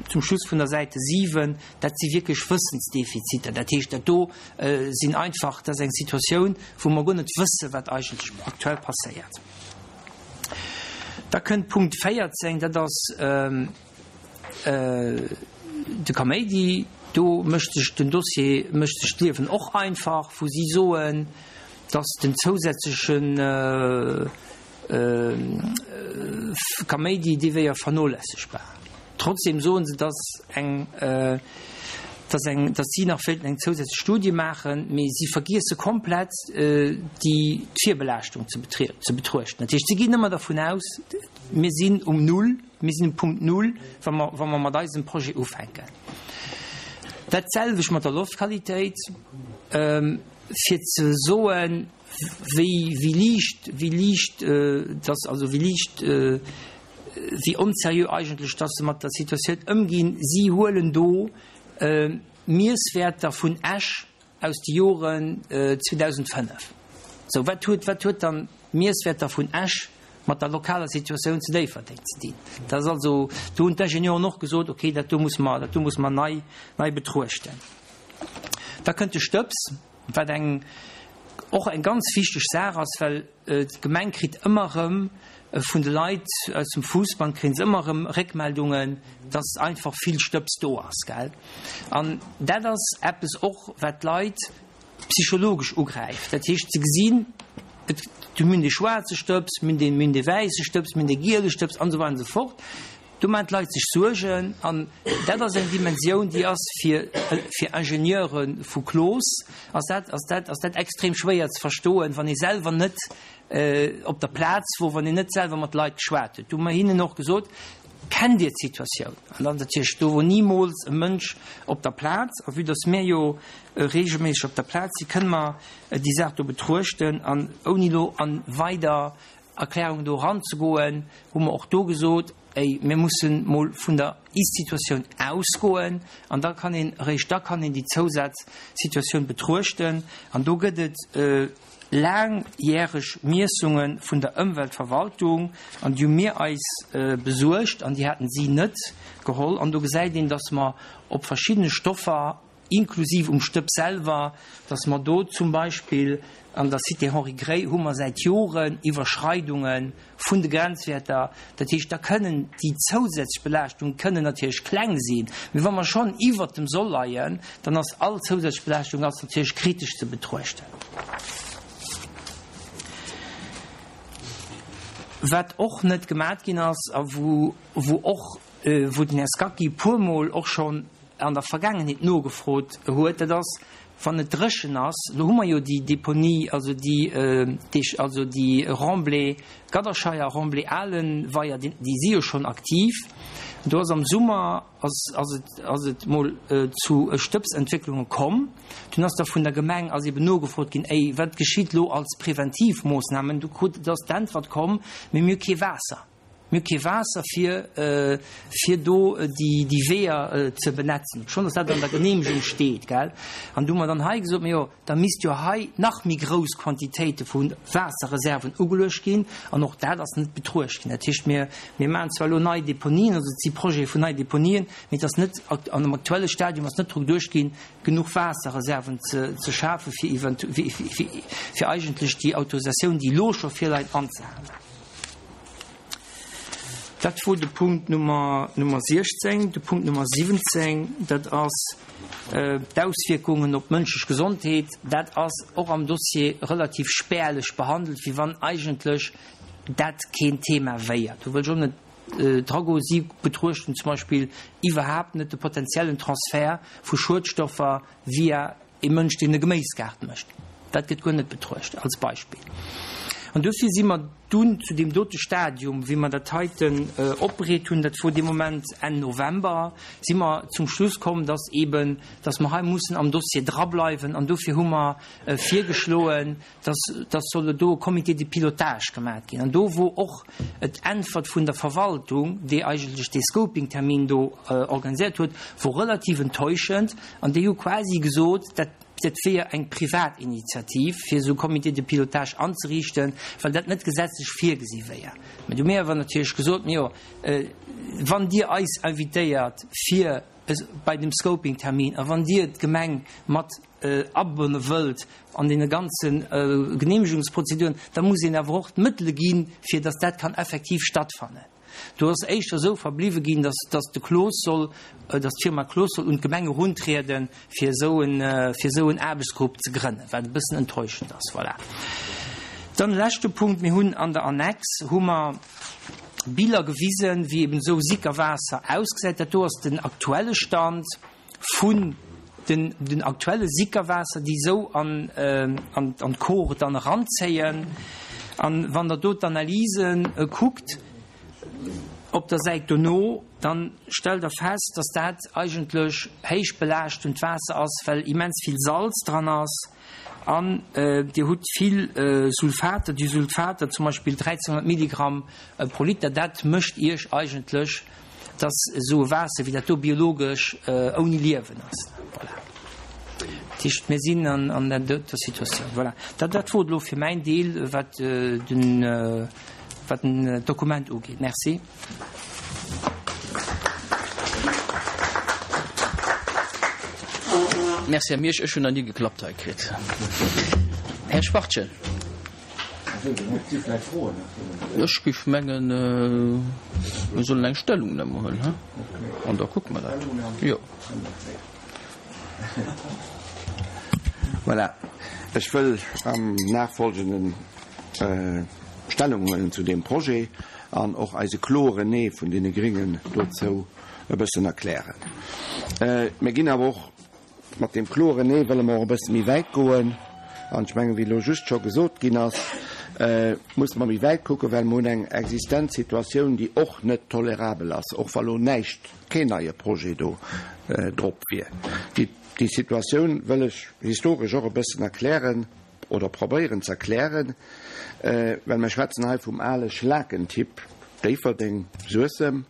zum Schluss vun der Säite siwen, dat si wierklech Wëssensdefiziter. Dat heescht, dat do sinn einfach, dat ass eng Situatioun, wou mer guer net wëssen, wat eigentlech aktuell passéiert. Da kënnt Punkt véierzéng, dat ass de Kaméidi. Do mécht sech den Dossier, mécht sech d'Liewen och einfach, wou si soen, dass den zousätzlechen Kaméidi, dee wéier vernolässegbar. Trotzdem soen se, dass eng, dass eng, dass si nach wéilten eng zousätzlech Studie maachen, mee si vergiesse komplett déi d'Virbelaaschtung ze ze betruechten. Dat heescht, si ginn ëmmer dervun aus, mir sinn um Null, mir sinn um Punkt Null, wa mer, wa mer mat eisem Projet ufänken. Dat selwecht mat der Loftqualitéit, fir ze soen, wéi, wéi liicht, wéi liicht dass, also wéi liicht, wéi onseriö eigentlech dass se mat der Situatioun ëmginn. Si huelen do Miesswäerter vun Esch aus de Joren zweedausendfënnef. Sou, wat huet, wat huet dann d'Miesswäerter vun Esch mat der lokaler Situatioun zu Déifferdeng ze dinn? Dat ass also, do hunn d'Ingenieuren och gesot, okay, dat do muss mer, dat do muss mer nei, nei betruechten. Da kënnt de Stëbs, wat eng, och eng ganz wichteg Saach ass, well d'Gemeng kritt ëmmer erëm vun de Leit aus dem Fuussband kréie se ëmmer erëm Réckmeldungen, dass einfach vill Stëbs do ass, gell. An dat ass eppes och, wat d'Leit psychologesch ugräift. Dat heescht, se gesinn, et, du mir hunn dee schwaarze Stëbs, mir hunn dee, mir hunn dee wäisse Stëbs, mir hunn dee giele Stëbs an esou weider an esou fort. Do maachen d'Leit sech Suergen an dat ass eng Dimensioun, déi ass fir, fir Ingenieure vu Cloos ass dat, ass dat, ass dat extrem schwéier ze verstoen, wann ee selwer net op der Plaz wor, wann een net selwer mat Leit geschwat huet. Do hu mer hinnen och gesot, Kennt Dir d'Situatioun? An dann natierlech, do wor nimools e Mënsch op der Plaz. A vue dass mir jo regelméisseg op der Plaz sinn, kënne mer déi Saach do betruechten. An ouni elo a weider Erklärungen do eranzegoen, hu mer och do gesot, Ey, mir mussen mol vun der Ist-Situatioun ausgoen an da kann een, eréischt da kann een déi Zousazsituatioun betruechten. An do gëtt et laangjäreg Miessunge vun der Ëmweltverwaltung an déi hu mir eis besuergt an déi haten si net geholl. An do gesäit een, dass mer op verschiddene Stoffer, inklusiv um Stëpp selwer, dass mer do zum Beispill an der Cité Henri Gray hu mer säit Joren Iwwerschreidunge vun de Grenzwäerter. Dat heescht, da kënnen déi zousätzlech Belaaschtunge kënnen natierlech kleng sinn, mee wa mer schonn iwwert dem Soll leien, dann ass all zousätzlech Belaaschtung ass natierlech kritesch ze betruechten. Wat och net gemat ginn ass a wou, wou och, wou den Här Scacchi e puermol och schonn an der Vergaangenheet nogefrot huet, dat ass, wann et dréchen ass, elo hu mer jo déi Deponie, also déi, also déi Remblai Gadderscheier, Remblai Alenweier, déi si jo schonn aktiv. Do ass am Summer ass, ass et, ass et mol zu Stëbsentwécklunge komm. Dunn ass da vun der Gemeng ass eben nogefrot ginn, Ey, wat geschitt elo als Preventivmoossnamen? Du krut, do ass d'Äntwert komm, Mee mir hu kee Waasser. Mir hu kee Waasser fir, fir do déi, déi Weeër ze benetzen, obschonn dass dat an der Genehmegung steet, gell. An du hu mer dann hei gesot, Majo, da misst jo hei nach méi grouss Quantitéite vu Waasserreserven ugeluecht ginn. An och dat ass net betruecht ginn. Dat heescht, mir, mir maachen zwar elo nei Deponien, also et si Projete vun nei Deponien, mee et ass net, an dem aktuelle Stadium ass net dru geduecht ginn, genuch Waasserreserven ze, ze schafen, fir eventu-, fir, fir, fir eigentlech déi Autorisatioun, déi elo scho virleit, anzehalen. Dat wor de Punkt Nummer, Nummer siechzéng. De Punkt Nummer siwwenzéng, dat ass d'Auswierkungen op d'mënschlech Gesondheet. Dat ass och am Dossier relativ spärlech behandelt, wéi wann eigentlech dat keen Thema wéier. Do wëll ech och net dragoen. Si betruechten zum Beispill iwwerhaapt net de potenziellen Transfert vu Schuedstoffer via ee Mënsch, deen e Geméisgaart mécht. Dat gëtt guer net betruecht als Beispill. An dofir si mer dunn zu deem dote Stadium, wéi mer dat heiten opbereet hunn, dat wor dee Moment Enn November, si mer zum Schluss komm, dass eben, dass mer hei mussen am Dossier drableiwen. An dofir hu mer virgeschloen, dass, dass solle do e Comité de pilotage gemaat ginn. An do wor och d'Äntwert vun der Verwaltung, déi eigentlech dee Scoping-Termin do organiséiert huet, wor relativ enttäuschend. An déi hu quasi gesot, dat dat wier eng Privatinitiativ, fir esou e Comité de pilotage anzeriichten, well dat net gesetzlech virgesi wier. Mä du mir awer natierlech gesot, jo, wann Dir eis invitéiert fir bei dem Scoping-Termin a wann Dir d'Gemeng mat abonne wëllt an deene ganze Genehmegungsprozeduren, da muss een awer och d'Mëttele ginn, fir datt dat kann effektiv stattfannen. Do ass éischter esou verbliwwe ginn, datt, datt de Cloos soll, datt d'Firma Cloos soll un d'Gemeng eruntrieden, fir esou en, fir esou en Aarbechtsgrupp ze grënnen, wat e bëssen enttäuschend ass. Voilà. Dann e leschte Punkt, Mir hunn an der Annex hu mer Biller gewisen, wéi eben esou Sickerwaasser ausgesäit. Dat do ass den aktuelle Stand vun den, den aktuelle Sickerwaasser, déi esou an, an, an d'Kor dann eranzéien. An wann Der do d'Analysen kuckt op der Säit dono, dann stellt Der fest, dass dat eigentlech héich belaaschtent Waasser ass, well immens vill Salz dran ass. An Dir hutt vill Sulfater, déi Sulfater, zum Beispill dräizénhonnert Milligramm pro Liter, dat mécht Iech eigentlech, dass esou e Waasser wéi dat do biologesch ouni Liewen ass. Voilà. Dat heescht, mir sinn an der doter Situatioun. Voilà. Dat, dat wor elo fir mäin Deel, wat den, wat den Dokument ugeet. Merci. Merci, Här Miersch. Ech hunn nach ni geklappt hei kritt. Här Schwachtgen. Ech géif mengen, mir sollen eng Stellungnahme huelen, he? An da kucke mer dat. Jo. Voilà. Ech wëll am Nachfolgenden Stellung huelen zu deem Projet an och eise kloren Nee vun deene Gringen dozou e bëssen erklären. Mir ginn awer och mat deem kloren Nee wëlle mer och e bësse méi wäit goen. An ech mengen, wéi elo just scho gesot ginn ass, musse mer méi wäit kucken, well mer hunn eng existent Situatioun, déi och net tolerabel ass, och wa lo näischt, keen neie Projet do drop wier. Déi, déi Situatioun wëll ech historesch och e bëssen erklären oder probéieren ze erklären, well mer schwätzen hei vum ale Schlakentipp Déifferdeng, Suessem,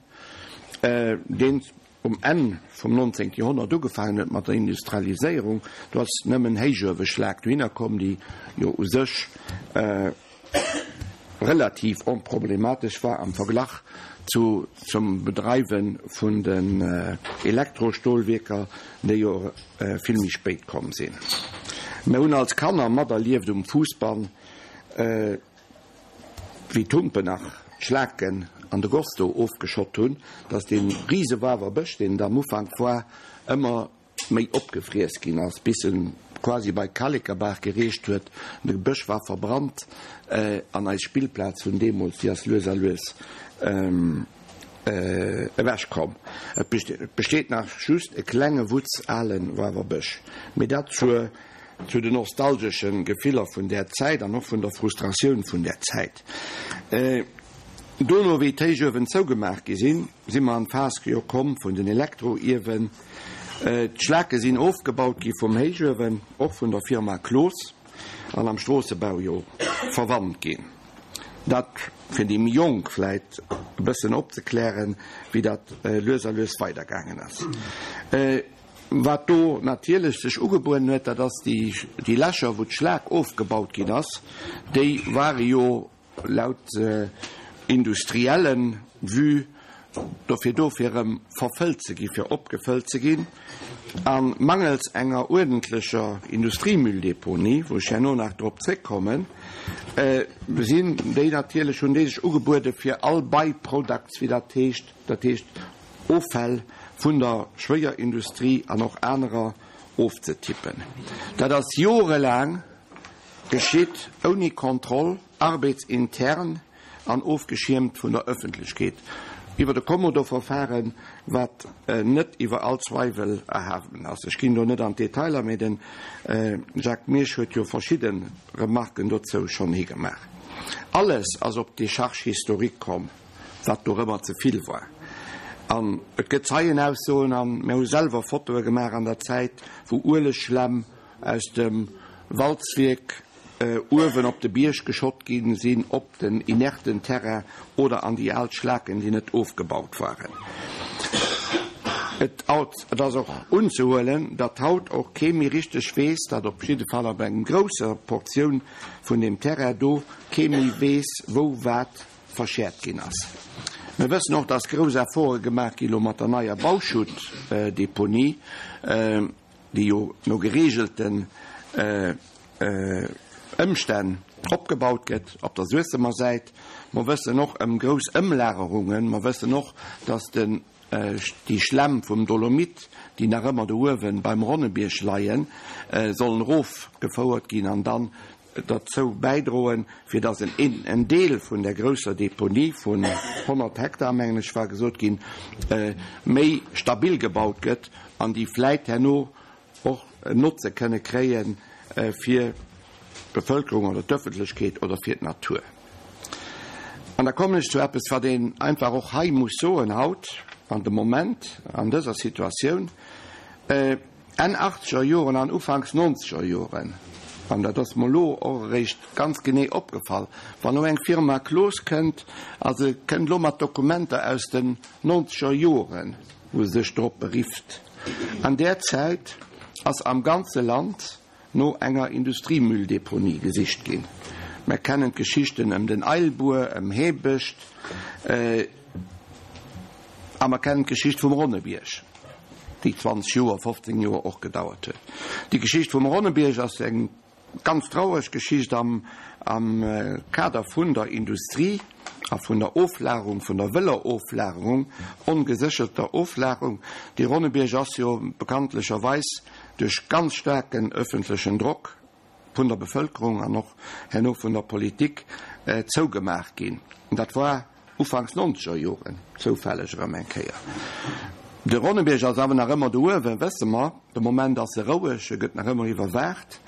deen um Enn vum nonzéngte Joerhonnert ugefaangen huet mat der Industrialiséierung. Do ass nëmmen Héichueweschlak dohinner komm, déi jo u sech relativ onproblematesch war am Verglach zu zum Bedreiwe vun den Elektrostolwierker, déi jo vill méi spéit komm sinn. Mir hunn als Kanner materlieft um Fuussbann, wéi d'Humpen nach d'Schlaken an de Goss do ofgeschott hunn, dass dee rise Wawer-Bësch, deen et am Ufank war, ëmmer méi opgefriess ginn ass, bis en quasi bei d'Kalekerbaach gereecht huet. De Bësch war verbrannt an eis Spillplaz vun deemools, déi ass lues a lues ewechkomm. Et besteet nach just e klenge Wutz ale Wawer-Bësch. Mee dat zur zu den nostalgesche Gefiller vun där Zäit an och vun der Frustratioun vun där Zäit. Dono, wéi d'Héichuewen zougemaach gi sinn, si mer an d'Phas jo komm vun den Elektroiewen. D'Schlake sinn ofgebaut gi vum Héichuewen, och vun der Firma Cloos, an am Stroossebau jo verwannt ginn. Dat fir déi méi Jonk vläit e bëssen opzeklären, wéi dat lues a lues weidergaangen ass. Wat do natierlech sech ugebueden huet, dat ass déi, déi Lächer, wou d'Schlak ofgebaut ginn ass, déi ware jo laut industriellen Vue dofir do, fir erëm verfëllt ze ginn, fir opgefëllt ze ginn. A mangels enger uerdentlecher Industriemülldeponie, wou ech herno nach drop zréckkommen, sinn déi natierlech, hunn déi sech ugebuede fir all By-products, wéi dat heescht, dat heescht Offäll vun der Schwéierindustrie an och anerer ofzetippen. Dat ass jorelaang geschitt ouni Kontroll, arbeitsintern an ofgeschiermt vun der Öffentlechkeet, iwwer e Kommodoverfahren, wat net iwwer all Zweiwel erhawen ass. Ech ginn do net an d'Detailer, mee de Jacques Miersch huet jo verschidde Remarken dozou schonn higemaach. Alles ass op d'Décharge historique komm, wat dorëmmer ze vill war. An et gëtt Zeienaussoen, an mir hu selwer Fotoe gemaach an der Zäit, wou Uelegschlämm aus dem Walzwierk uewen op de Bierg geschott gi sinn, op den inerten Terrain oder an déi al Schlaken, déi net ofgebaut waren. Et et ass och unzehuelen, datt haut och kee méi richteg weess, datt op jidde Fall op engem grousser Portioun vun deem Terrain do kee méi weess, wou wat verschäert ginn ass. Mir wëssen och, datt grouss Efforte gemaach gi lo mat der neier Bauschuttdeponie, déi jo no geregelten Ëmstänn opgebaut gëtt op der Suessemer Säit. Mer wëssen och ëm grouss Ëmlagerungen. Mer wëssen och, datt den déi Schlämm vum Dolomit, déi nach ëmmer do uewen beim Ronnebierg leien, sollen erofgefouert ginn an dann derzou bäidroen, fir datt en en Deel vun där grousser Deponie vun honnert Hektar, mengen ech war gesot ginn, méi stabil gebaut gëtt an déi vläit herno och en Notze kënne kréie fir d'Bevëlkerung oder d'Ëffentlechkeet oder fir d'Natur. An da kommen ech zu eppes, wat een einfach och hei muss soen haut, an de Moment, an dëser Situatioun, Enn achtzeger Joren an ufanks nonzeger Joren, an dat ass mer elo och eréischt ganz genee opgefall, wann elo eng Firma Cloos kënnt a se kënnt elo mat Dokumenter aus den nonzeger Joren, wou se sech drop berifft, an där Zäit ass am ganze Land no enger Industriemülldeponie gesicht ginn. Mer kennen d'Geschichten ëm den Eilbuer, ëm Heebescht a mer kennen d'Geschicht vum Ronnebierg, déi zwanzeg Joer, fofzéng Joer och gedauert huet. Déi Geschicht vum Ronnebierg ass eng ganz traureg Geschicht am Kader vun der Industrie a vun der Oflagerung, vun der wëller Oflagerung, ongesécherter Oflagerung. Dee Ronnebierg ass jo bekanntlecherweis duerch ganz staarken öffentlechen Drock vun der Bevëlkerung an och herno vun der Politik zougemaach ginn. Dat war ufanks nonzeger Joren, zoufälleg erëm eng Kéier. De Ronnebierg ass awer nach ëmmer do uewen, wësse mer. De Moment ass e roueg, e gëtt nach ëmmer iwwerwaacht.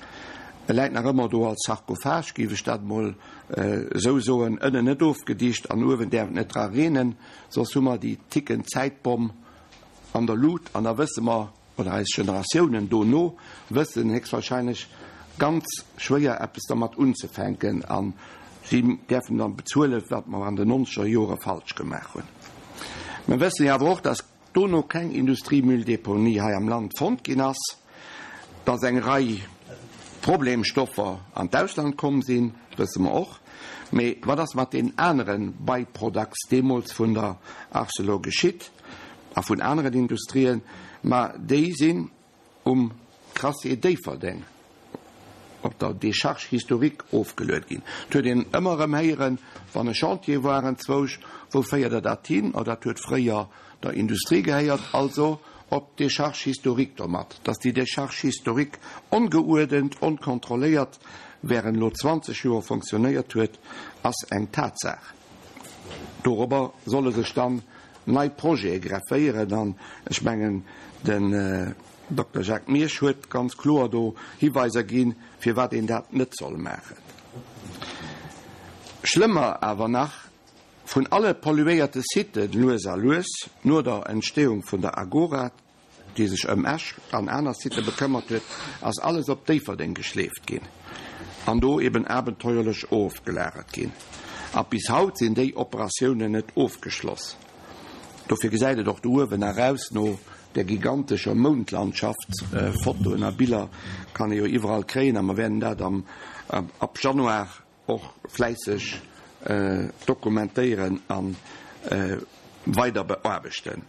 E läit nach ëmmer do als Sarkophag, géif ech dat emol esou soen, ënnen net ofgedicht an uewen däerf et net dra reenen, soss hu mer déi tickend Zäitbomm an der Lut an da wësse mer, oder eis Generatiounen dono wëssen héchstwahrscheinlech ganz schwéier eppes dermat unzefänken a si däerfen dann bezuelen, wat mer an den nonzeger Jore falsch gemaach hunn. Mer wëssen jo awer och, dass dono keng Industriemülldeponie hei am Land fonnt ginn ass, dass eng Rei Problemstoffer an d'Ausland komm sinn, wësse mer och. Mee wat ass mat deenen anere By-products deemools vun der Arcelor geschitt a vun aneren Industrien? Ma déi sinn um Crassier Déifferdeng op der Décharge historique ofgeluet ginn. Et huet een ëmmer erëm héieren, wann e Chantier war enzwousch, Wou féiert Der dat hin? Oh, dat huet fréier der Industrie gehéiert, also op d'Décharge historique domat. Dass déi Décharge historique ongeuerdent, onkontrolléiert während elo zwanzeg Joer fonctionnéiert huet, ass eng Tatsaach. Dorobber solle sech dann nei Projete grefféieren an ech mengen, den Dokter Jacques Miersch huet ganz kloer do Hiweiser ginn, firwat een dat net soll maachen. Schlëmmer awer nach, vun alle polluéierte Siten lues a lues, no der Entstehung vun der Agora, déi sech ëm Esch an aner Sitë bekëmmert huet, ass alles op Déifferdeng geschleeft ginn an do eben abenteuerlech ofgelagert ginn. A bis haut sinn déi Operatiounen net ofgeschloss. Dofir gesäit et och do uewen nach aus no där gigantescher Moundlandschaft. Fotoen a Biller kann ee jo iwwerall kréien a mer wäerten dat am ab Januar och fläisseg dokumentéieren a weider beaarbechten.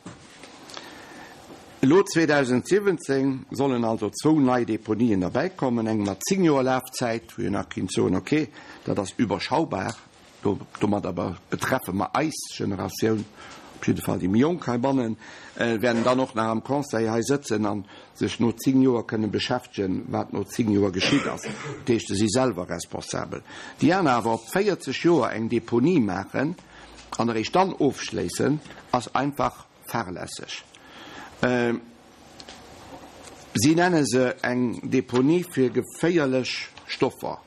Elo zweedausentsiwwenzéng sollen also zwou nei Deponien derbäikommen, eng mat zéng Joer Lafzäit, wou een nach kinnt soen, okay, dat ass überschaubar, domadder betreffe mer eis Generatioun, op jidde Fall déi méi Jonk heibannen, wäerten dann och nach am Conseil hei sëtzen a sech no zéng Joer kënnen beschäftegen, wat no zéng Joer geschitt ass. Dat heescht, se si selwer responsabel. Déi aner awer op véierzeg Joer eng Deponie maachen an eréischt dann ofschléissen, ass einfach fahrlässeg. Si nenne se eng Deponie fir geféierlech Stoffer.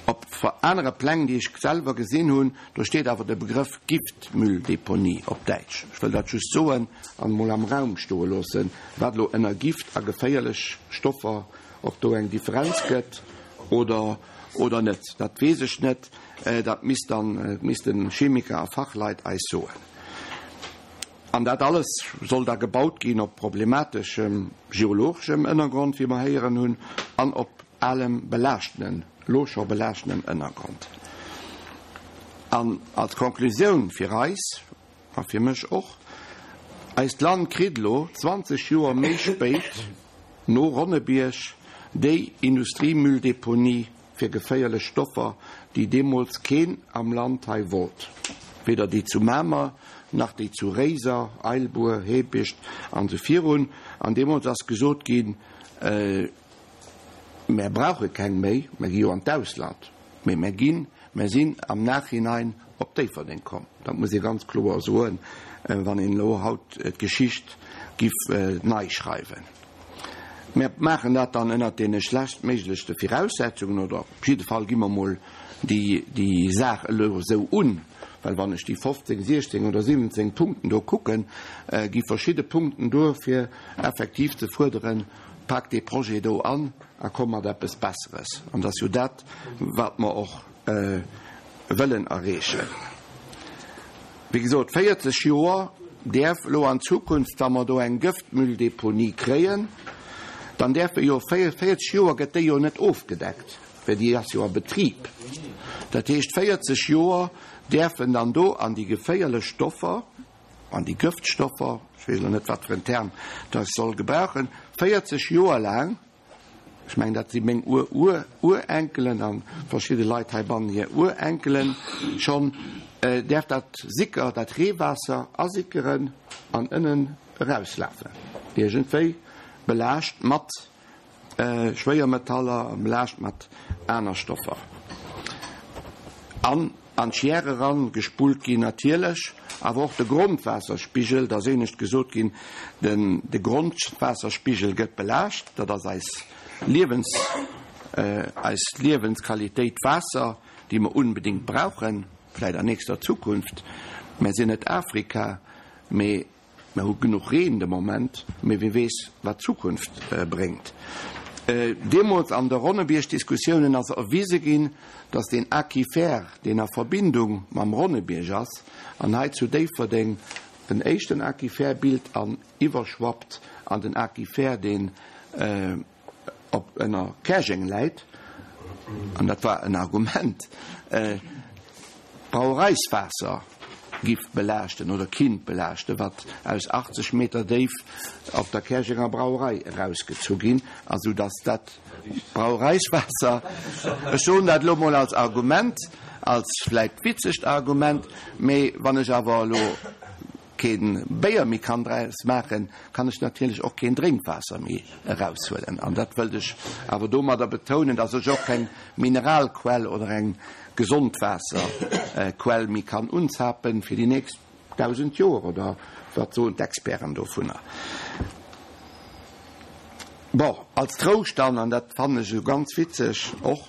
Op anere Pläng, déi ech selwer gesinn hunn, do steet awer de Begrëff Giftmülldeponie op Däitsch. Ech wëll dat just soen an emol am Raum stoe loossen, wat elo ënner Gift a geféierlech Stoffer, ob do eng Differenz gëtt oder oder net, dat weess ech net. Dat misst dann, missten Chemiker a Fachleit eis soen. An dat alles soll da gebaut ginn op problemateschem geologeschem Ënnergrond, wéi mer héieren hunn, an op alem belaaschtenen, lo scho belaaschtenem Ënnergrond. An als Konklusioun fir eis, a fir mech och, Eist Land kritt elo, zwanzeg Joer méi spéit, no Ronnebierg, déi Industriemülldeponie fir geféierlech Stoffer, déi deemools keen am Land hei wollt, weder déi zu Mamer, nach déi zu Réiser, Eilbuer, Heebicht an esou virun. An deemools ass gesot ginn, Mär brauche keng méi, mär gi jo an d'Ausland. Mee mär ginn, mär sinn am Nachhinein op Déifferdeng komm. Dat muss ee ganz kloer soen, wann een elo haut d'Geschicht giff nei schreiwen. Mär maachen dat dann ënnert deene schlechtméiglechte Viraussetzungen, oder op jidde Fall gi mer emol déi, déi Saach elo esou un, well wann ech déi fofzéng, siechzéng oder siwwenzéng Punkten do kucken, gi verschidde Punkten duer, fir effektiv ze fuerderen, Pak dee Projet do an a komm mat eppes Besseres. An dat ass jo dat, wat mer och wëllen erreechen. Wéi gesot, véierzeg Joer däerf elo an Zukunft, wa mer do eng Gëftmülldeponie kréien, dann däerfe jo véierzeg Joer gëtt déi jo net ofgedeckt, well déi ass jo a Betrib. Dat heescht, véierzeg Joer däerfen dann do an déi geféierlech Stoffer, an déi Gëftstoffer, ech weess elo net, wat fir en Term dass ech soll gebrauchen, véierzeg Joer laang, ech mengen, dat si meng Ur-Ur-Urenkelen a verschidde Leit heibannen hir Urenkelen schonn, däerf dat Sicker, dat Reewaasser asickeren an ënnen erauslafen, iergendwéi belaascht mat Schwéiermetaller, belaascht mat aner Stoffer. An an d'Chièr eran gespullt ginn natierlech, awer och de Grondwaasserspigel, et ass éinescht gesot ginn, den de Grondwaasserspigel gëtt belaascht, dat ass eis Liewens eis Liewensqualitéit Waasser, déi mer unbedéngt brauchen, vläit an nächster Zukunft. Mär sinn net Afrika, mee Mer hu genuch Reen de Moment, mee wie weess, wat d'Zukunft bréngt. Deemools an de Ronnebierg-Diskussiounen ass erwise ginn, datt deen Aquifer, deen a Verbindung mam Ronnebierg ass an hei zu Déifferdeng en éischten Aquifer bilt an iwwerschwappt an den Aquifer, deen op ënner Käerjeng läit, an dat war en Argument, d'Brauereiswaasser giff belaaschten oder kinnt belaaschten, wat aus achtzeg Meter Déif op der Käerjenger Brauerei erausgezu ginn ass, sou dass dat Brauereiswaasser, ech soen dat elo mol als Argument, als vläit witzegt Argument, mee wann ech awer elo kee Béier méi kann draus maachen, kann ech natierlech och keen Drénkwaasser méi eraushuelen. An dat wëllt ech awer domadder betounen, dass ech och keng Mineralquell oder eng gesond Waasserquell méi kann unzapen fir déi nächst dausend Joer, oder wat soen d'Experten dovunner? Bon, als Trouscht dann, an dat fannen ech esou ganz witzeg, och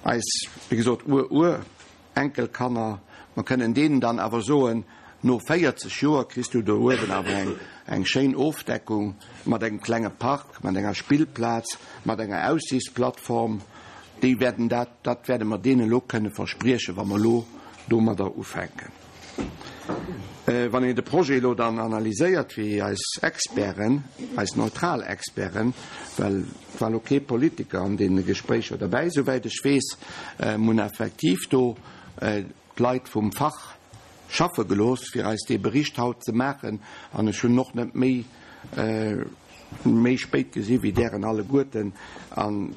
eis, wéi gesot, Ur-Ur-Enkelkanner, mer kënnen deenen dann awer soen, No véierzeg Joer kriss du do uewen awer eng eng schéin Ofdeckung mat engem klenge Park, mat enger Spillplaz, mat enger Aussichtsplattform. Déi wäerten dat, dat wäerte mer deenen elo kënne verspriechen, wa mer elo domadder ufänken. Wann een de Projet elo dann analyséiert, wéi eis Experten, eis neutral Experten, well et war elo kee Politiker an deene Gespréicher derbäi, souwäit ech weess, mir hunn effektiv do d'Leit vum Fach schaffe gelooss, fir eis dee Bericht haut ze maachen, an ech hunn och net méi méi spéit gesi wéi dären alleguerten, an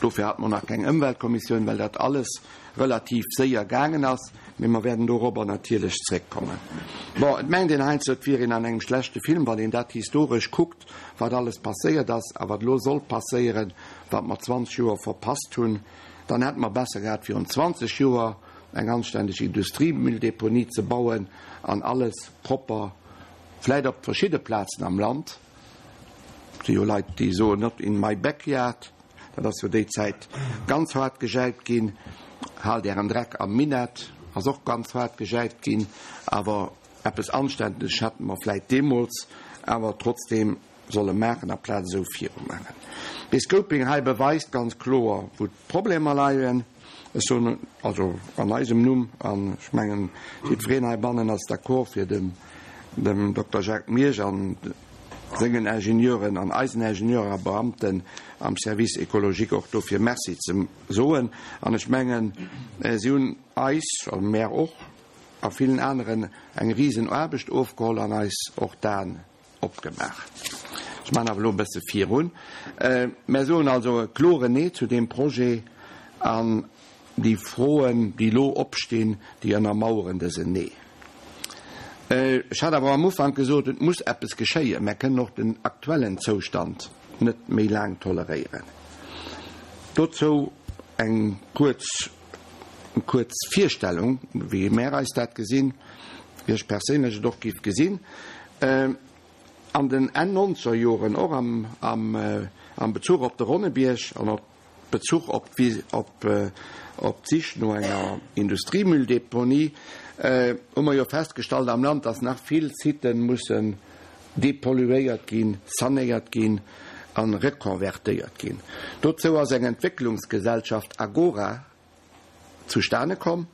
dofir hate mer nach keng Ëmweltkommissioun, well dat alles relativ séier gaangen ass, mee mer wäerten dorobber natierlech zréckkommen. Bon, et mengt een heiansdo, et wier een an engem schlechte Film, wann een dat historesch kuckt, wat alles passéiert ass a wat elo soll passéieren, wat mer zwanzeg Joer verpasst hunn. Dann hätte mer besser gehat, virun zwanzeg Joer eng anständeg Industriemülldeponie ze bauen an alles propper, vläit op verschidde Plazen am Land. Et si jo Leit, déi soen, not in my backyard. Dat ass jo déi Zäit ganz haart gejäipt ginn. Haalt Ären Dreck am Minett ass och ganz haart gejäipt ginn. Awer eppes Anständeges hätte mer vläit deemools awer trotzdeem solle maachen, aplaz esou virumaachen. Dee Scoping hei beweist ganz kloer, wou d'Problemer leien. Ech soen also an eisem Numm, an ech mengen, jiddwereen heibannen ass d'accord, fir dem dem Dokter Jacques Miersch an sengen Ingenieuren an eisen Ingenieuren a Beamten am Service écologique och dofir Merci ze soen. An ech mengen, si hunn eis, a mär och, a villen aneren eng risen Aarbecht ofgeholl an eis och d'Aen opgemaach. Ech maachen awer elo e bësse virun. Mär soen also e kloren Nee zu deem Projet an déi Froen, déi elo opstinn, déi ënnermaueren dësen Nee. Ech hat awer am Ufank gesot, et muss eppes geschéien. Mär kënnen och den aktuellen Zoustand net méi laang toleréieren. Dozou eng kuerz, kuerz Virstellung, wéi mär eis dat gesinn, wéi ech perséinlech et och géif gesinn. An den Enn Nonzerjoren, och am, am, am Bezuch op de Ronnebierg an op Bezuch op op op d'Sich no enger Industriemülldeponie, hu mer jo festgestallt am Land, dass nach vill Siten mussen depolluéiert ginn, sanéiert ginn a rekonvertéiert ginn. Dozou ass eng Entwécklungsgesellschaft Agora zustane komm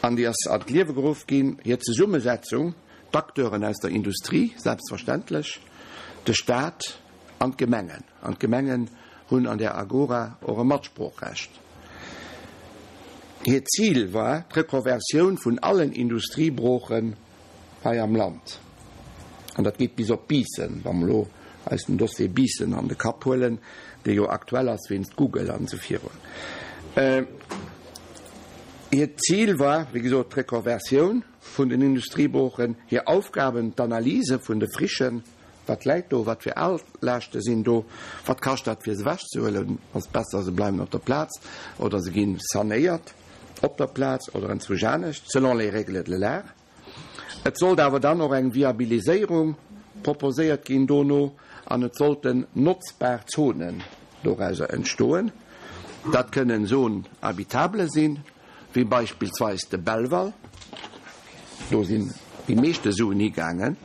an déi ass an d'Liewe geruff ginn. Hir Zesummesetzung, d'Acteuren aus der Industrie selbstverständlech, de Stat an d'Gemengen. An d'Gemengen hunn an där Agora och e Matsproochrecht. Hiert Zil war d'Rekonversioun vun allen Industriebroochen hei am Land. An dat geet bis op Biissen, wa mer elo eis den Dossier Biissen an de Kapp huelen, dee jo aktuell ass wéinst Google an esou virun. Hiert Zil war, wéi gesot, d'Rekonversioun vun den Industriebroochen, hir Aufgaben, d'Analyse vun de Frichen, Wat läit do, wat fir Altlaaschte sinn do, wat kascht dat fir se ewechzehuelen, ass et besser se bleiwen op der Plaz oder se gi sanéiert op der Plaz oder enzwousch anescht, selon les règles de l'art. Et sollt awer dann och eng Viabiliséierung proposéiert ginn dono an et sollten notzbar Zonen dorauser entstoen. Dat kënnen Zones habitables sinn, wéi beispillsweis de Belval, do sinn déi meeschte Suen higaangen.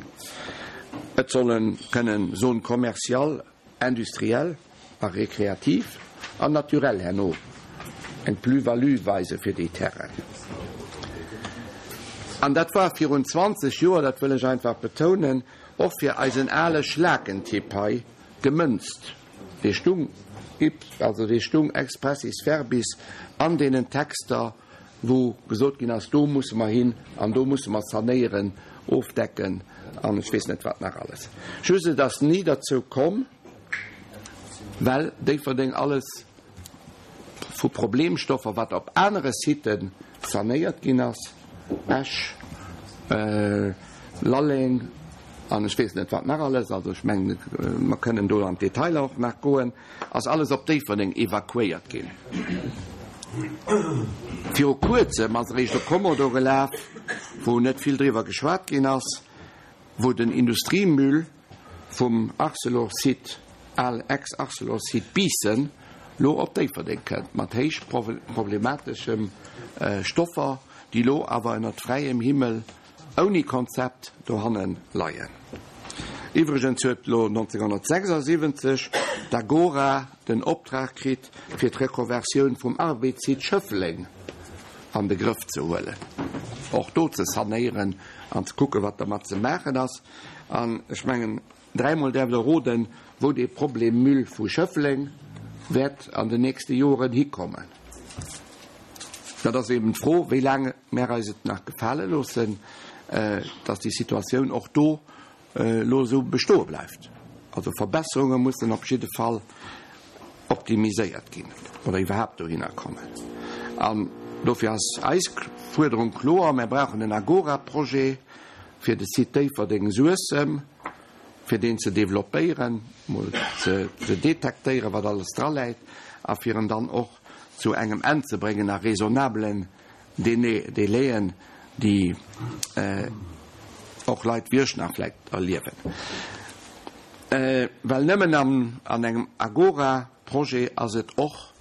Et solle kënnen Zones commerciales, industrielles a récréatives an naturelles herno eng Plus-value weise fir déi Terrainen. An dat war virun zwanzeg Joer, dat wëll ech einfach betounen, och fir eisen ale Schlakentipp hei gemënzt. Dee stung, also dee stung expressis verbis an deenen Texter, wou gesot ginn ass, do musse mer hin an do musse mer sanéieren, ofdecken an ech weess net wat nach alles. Just et ass ni derzou komm, well Déifferdeng alles vu Problemstoffer, wat op anere Siten sanéiert ginn ass, Esch, Lalleng an ech weess net wat nach alles, also ech mengen, mer kënnen do an d'Detailer och nach goen, ass alles op Déifferdeng evakuéiert ginn. Viru Kuerzem ass eréischt e Kommodo gelaf, wou net vill driwwer geschwat ginn ass, wou den Industriemüll vum Arcelor-Site, al Ex-Arcelor-Site Biissen, lo op Déifferdeng kënnt, mat héich problemateschem Stoffer, déi lo awer ënnert fräiem Himmel ouni Konzept dohanne leien. Iwwregens huet lo nonzénghonnertsechsasiwwenzeg d'Agora den Optrag kritt, fir d'Rekonversioun vum Arbed-Site Schëffleng an de Grëff ze huelen, och do ze sanéieren an ze kucken, wat dermat ze maachen ass. An ech mengen, dräimol däerft Der roden, wou dee Problem Müll vu Schëffleng wäert an den nächste Joren hikommen. Dat ass eben d'Fro, wéi laang mär eis et nach gefale loossen, dass déi Situatioun och do elo esou bestoe bleift. Also Verbesserunge mussen op jidde Fall optimiséiert ginn oder iwwerhaapt dohinner kommen. An dofir ass eis Fuerderung kloer, Mär brauchen en Agora-Projet fir de Site Déifferdeng-Suessem, fir deen ze developpéieren, mol ze detektéieren, wat alles draläit, a fir en dann och zu engem Enn ze bréngen a raisonnablen Délaiën, déi och Leit wéi ech nach vläicht erliewen. Well nëmmen an engem Agora-Projet ass et och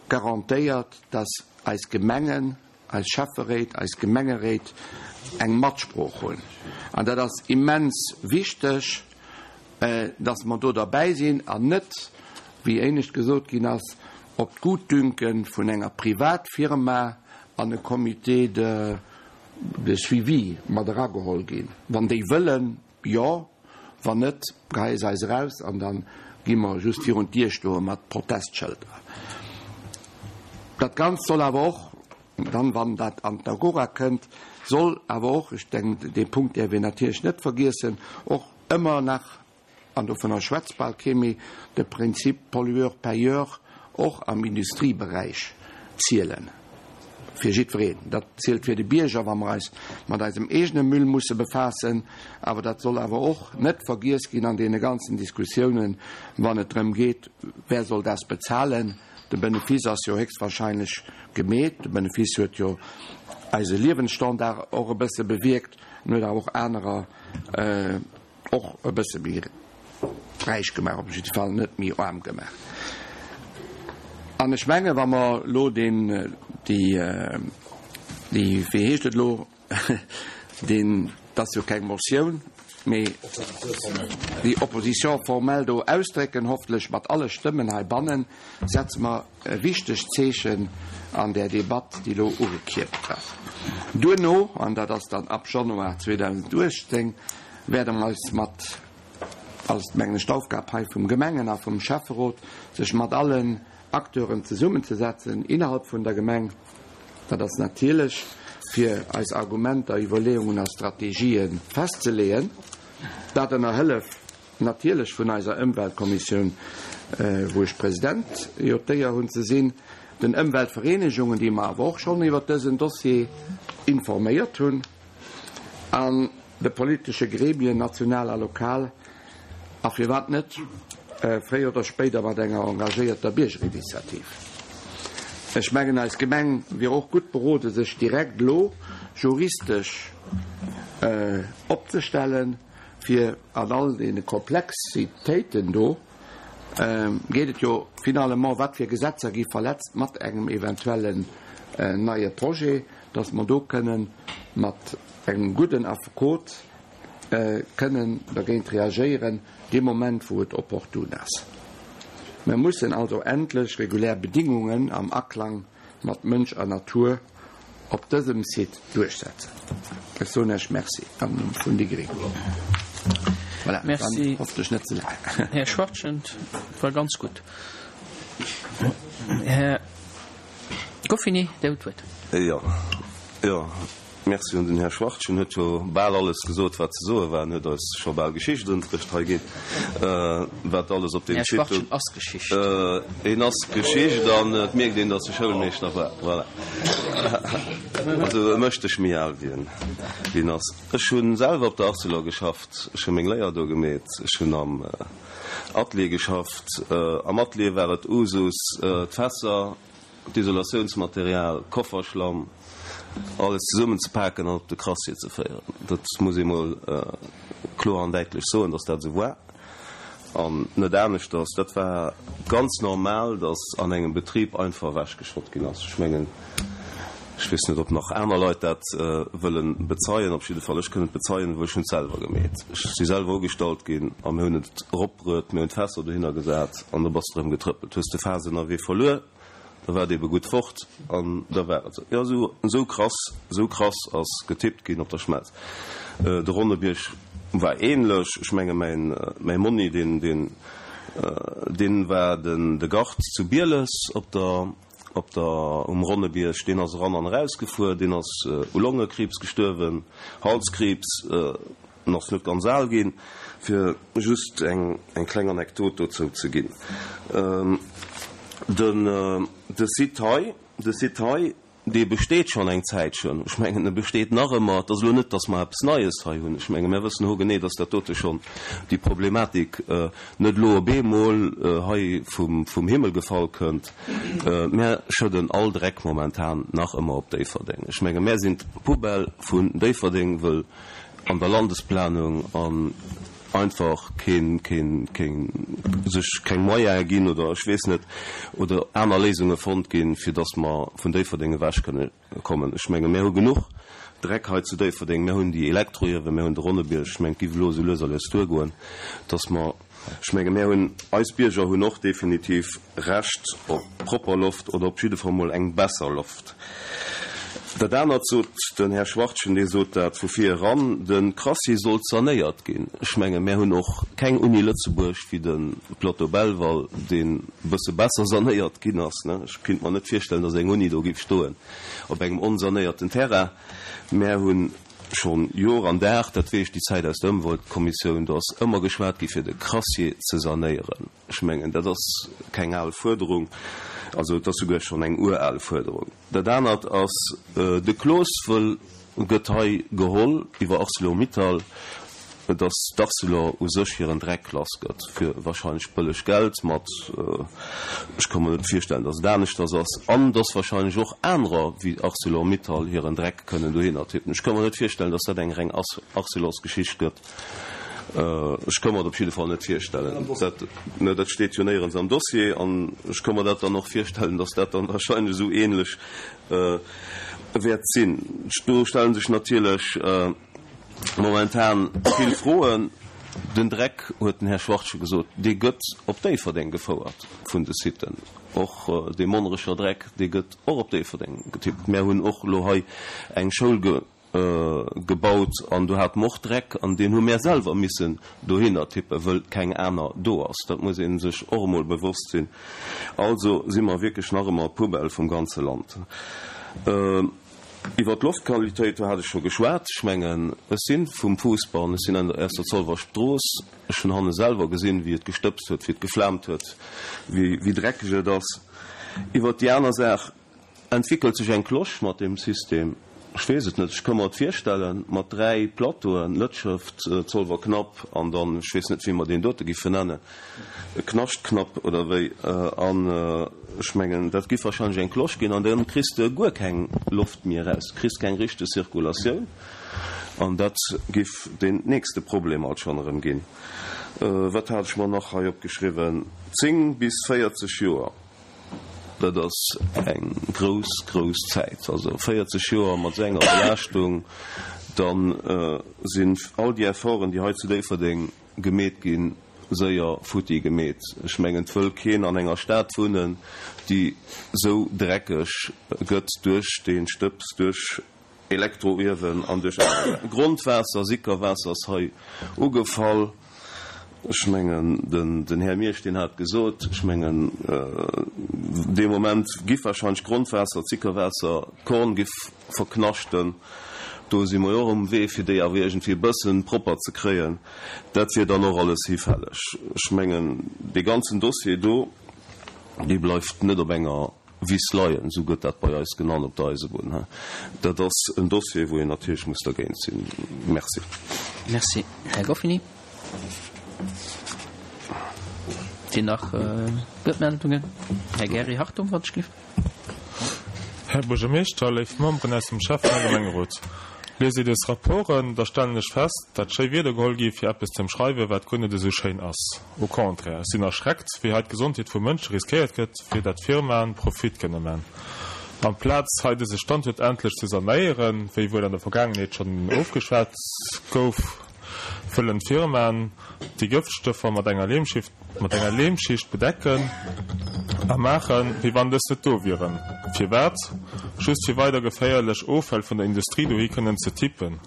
garantéiert, dass eis Gemengen, eis Schäfferéit, eis Gemengeréit eng Matsprooch hunn. An dat ass immens wichteg, dass mer do derbäi sinn an net, wéi éinescht gesot ginn ass, op d'Gutdünke vun enger Privatfirma an e Comité de de Suivi mat erageholl ginn. Wann déi wëllen, jo, wann net, geheie se eis eraus an da gi mer just virun d'Dier stoe mat Protestschëlder. Dat Ganzt soll awer och dann, wann dat an d'Agora kënnt, soll awer och, ech denken, dee Punkt däerf een natierlech net vergiessen, och ëmmer nach, an dovunner schwätzt bal kee méi, de Prinzip Pollueur-payeur och am Industrieberäich zielen. Fir jiddwereen. Dat zielt fir de Bierger, wa mer eis mat eisem eegene Müll musse befaassen, awer dat soll awer och net vergiess ginn an deene ganzen Diskussiounen, wann et drëm geet, Wer soll das bezahlen? De Benefice ass jo héchstwahrscheinlech gemeet. De Benefice huet jo eise Liewensstandard och e bësse bewierkt en huet awer och anerer och e bësse méi räich gemaach, op jidde Fall net méi aarm gemaach. An ech menge wa mer elo deen, déi, déi, wéi heescht et elo, deen, dat ass jo keng Motioun, mee déi Opposition formelle do ausdrécken, hoffentlech mat alle Stëmmen heibannen, setze mer e wichtegt Zeechen an där Debatt, déi elo ugekierpt ass. Duerno, an dat ass dann ab Januar zweedausenduechtzéng wäerte mer eis mat, ass mengen ech d'Aufgab hei vum Gemengen a vum Schäfferot, sech mat allen Acteuren zesummenzesetzen innerhalb vun der Gemeng, Dat ass natierlech, fir eis Argumenter, Iwwerleeungen a Strategië festzeleeën. Dat ënner Hëllef natierlech vun eiser Ëmweltkommissioun, wou ech President jo d'Éier hunn ze sinn, den Ëmweltvereenegungen, déi mer awer och schonn iwwert dësen Dossier informéiert hunn, an de politesche Gremien, national a lokal, a firwat net fréier oder spéider mat enger engagéierter Biergerinitiativ. Ech mengen, eis Gemeng wier och gutt berode sech direkt elo juristesch opzestellen, fir an all deene Komplexitéiten do geet et jo finalement, wat fir Gesetzer gi verletzt mat engem eventuellen neie Projet, dass mer do kënnen mat engem gudden Affekot kënnen dergéint reagéieren, dee Moment wou et opportun ass. Mer mussen also endlech regulär Bedingungen am Aklang mat Mënsch a Natur op dësem Site duerchsetzen. Ech soen Iech Merci am Numm vun déi gréng. Voilà, Merci, dann hoffentlech net ze laang. Här Schwachtgen, et war ganz gutt. Här Goffini, Dir hutt d'Wuert. Jo, jo, merci un den Här Schwachtgen, huet jo bal alles gesot, wat ze soe war, en huet eis scho bal Geschichtsunterricht hei ginn, wat alles op deem Här Site do. Schwachtgen ass Geschicht. En ass Geschicht an et mierkt een, datt e Schoulmeeschter war. Voilà. Also e mécht dech méi al, wéi en, wéi en ass. Ech hu selwer op der Arcelor geschafft, ech hu meng Léier do gemeet, ech hunn am Atelier geschafft. Am Atelier war et Usus, d'Fässer, d'Isolatiounsmaterial, Kofferschlamm, alles zesummen ze paken an op de Crassier ze féieren. Dat muss ee mol kloer an däitlech soen, dass dat esou war an net aneschters. Dat war ganz normal, dass an engem Betrib einfach ewechgeschott ginn ass. Ech mengen, ech weess net, ob nach aner Leit dat wëlle bezeien. Op jidde Fall, ech kënn et bezeien, wëll ech hunn et selwer gemeet. Ech si selwer ugestallt ginn a mir hunn et eropbruet, mir hunn d'Fässer dohinner gesat an da bass de erëm getrëppelt, hues de Faass ënnerwee verluer. Da war et ebe gutt fort an da war et esou. Jo, esou, esou krass, esou krass ass getippt ginn op der Schmelz. De Ronnebierg war ähnlech. Ech menge mäin, mäi Monni, deen, deen, deen war den, de Gard zu Bieles op der, op der, um Ronnebierg, deen ass eran an erausgefuer, deen ass u Longekriibs gestuerwen, Halskriibs, en ass net ganz al ginn, fir just eng, eng kleng Anekdot dozou ze ginn. Den, de Site hei, de Site hei, dee besteet schonn eng Zäitchen. Ech mengen, e besteet nach ëmmer. Et ass elo net, datt mer eppes Neies hei hunn. Ech menge mer wëssen hogenee, datt dat dote schonn, déi Problematik, net elo op eemol hei vum, vum Himmel gefall kënnt. Mär schëdden all Dreck momentan nach ëmmer op Déifferdeng. Ech menge mär sinn d'Poubelle vun Déifferdeng, wëll an der Landesplanung an einfach keen, keen, keen, sech keng Moyene ginn oder ech weess net, oder aner Léisunge fonnt ginn, fir dass mer vun Déifferdeng ewech kënne kommen. Ech menge mir hu genuch Dreck hei zu Déifferdeng, mir hunn déi Elektroiewen, mir hunn de Ronnebierg, ech mengen, et géif elo esou lues a lues duergoen, dass mer, ech menge mir hunn, eis Bierger hunn och definitiv Recht op propper Loft oder op jidde Fall mol eng besser Loft. Dat anert sot den Här Schwachtgen, dee sot dat vu vir eran, de Crassier sollt sanéiert ginn. Ech menge mär hunn och keng Uni Lëtzebuerg wéi de Plateau Belval, deen e bësse besser sanéiert ginn ass. Ech kinnt mer net virstellen, datt eng Uni do giff stoen op engem onsanéierten Terrain. Mär hu schonn Jor an Dag, dat weess ech, déi Zäit aus der Ëmweltkommissioun, do ass ëmmer geschwat gi fir de Crassier ze sanéieren. Ech mengen, dat ass keng al Fuerderung. Also et ass souguer schonn eng ural Fuerderung. Dat anert ass, de Clos wëll, gëtt hei geholl iwwer Arcelor-Mittal, datt d'Arcelor u sech hiren Dreck lass gëtt, fir wahrscheinlech bëlleg Geld mat, ech ka mer net virstellen, datt et aneschters ass, an datt wahrscheinlech och anerer wéi Arcelor-Mittal hiren Dreck kënnen dohinner tippen. Ech ka mer net virstellen, datt dat eng reng Arcelors-Geschicht gëtt. Ech ka mer et op jidde Fall net virstellen. Dat, ne, dat steet jo néierens am Dossier. An ech ka mer dat dann och virstellen, dass dat dann wahrscheinlech esou ähnlech wäert sinn. Do stelle sech natierlech momentan vill Froen. Den Dreck, huet den Här Schwachtgen gesot, dee gëtt op Déifferdeng gefouert vun de Siten. Och dee Monnerecher Dreck, dee gëtt och op Déifferdeng getippt. Mär hunn och elo hei eng Schoul gebaut an do hate mer och Dreck an deen hu mär selwer missen dohinner tippen, wëll keng aner do ass. Dat muss ee sech och emol bewosst sinn. Also si mer wierklech nach ëmmer d'Poubelle vum ganze Land. Iwwer d'Loftqualitéit, do hat ech scho geschwat. Ech mengen, ech si vum Fuussbau an ech sinn an der aus der Zolwer Strooss. Ech hunn hanne selwer gesinn, wéi et gestëbst huet, wéi et geflaamt huet, wéi dreckeg et ass. Iwwer déi aner Saach, Entwickelt sech eng Cloche mat deem System? Ech weess et net. Ech ka mer et virstellen, mat dräi Plateauen, Lëtschëft, Zolwer Knapp an dann, ech weess net, wéi mer deen dote giffe nennen, Knascht-Knapp oder wéi. An ech mengen, dat giff wahrscheinlech eng Cloche ginn an dann kriss de guer keng Loft méi eraus, kriss keng richteg Zirkulatioun an dat giff deen nächste Problem alt schonn erëm ginn. Wat hat ech mer nach hei opgeschriwwen? Zéng bis véierzeg Joer. Dat ass eng grouss, grouss Zäit. Also véierzeg Joer mat esou enger Belaaschtung, da sinn all déi Efforten, déi hei zu Déifferdeng gemeet ginn, séier futti gemeet. Ech mengen, et wëll keen an enger Stad wunnen, déi esou dreckeg gëtt duerch dee Stëbs, duerch Elektroiewen an duerch aner Saachen. Grondwaasser, Sickerwaasser ass hei ugefall. Ech mengen, den Här Miersch, deen hat gesot, ech mengen, dee Moment giff wahrscheinlech d'Grondwaasser, d'Sickerwaasser, d'Korn giff verknaschten. Do si mer jo och um Wee, fir déi awer iergendwéi e bësse propper ze kréien. Dat wier dann och alles hifälleg. Ech mengen, dee ganzen Dossier do, dee bleift net op enger Wiss leien, esou gëtt dat bei eis genannt op der Eisebunn. Dat ass en Dossier, wou een natierlech muss dergéint sinn. Merci. Merci, Här Goffini. Sinn nach Wuertmeldungen? Här Gary Hartung, wann ech giff. Här Buergermeeschter, léif Memberen aus dem Schäffen a Gemengerot, liest ee dës Rapporten, da stellen ech fest, dat schéi Wierder geholl gi fir eppes ze ëmschreiwen, wat guer net esou schéin ass. Au contraire, ech sinn erschreckt, wéi hei d'Gesondheet vu Mënsche riskéiert gëtt, fir dat Firmaen Profit kënne man. Amplaz hei dëse Standuert endlech ze sanéieren, wéi wuel an der Vergaangenheet schonn ofgeschwat gouf, wëllen d'Firmaen déi Gëftstoffer mat enger mat enger Leemschicht bedecken a maachen, wéi wann dës net do wieren. Firwat? Just fir weider geféierlech Offäll vun der Industrie dohi kënnen ze tippen.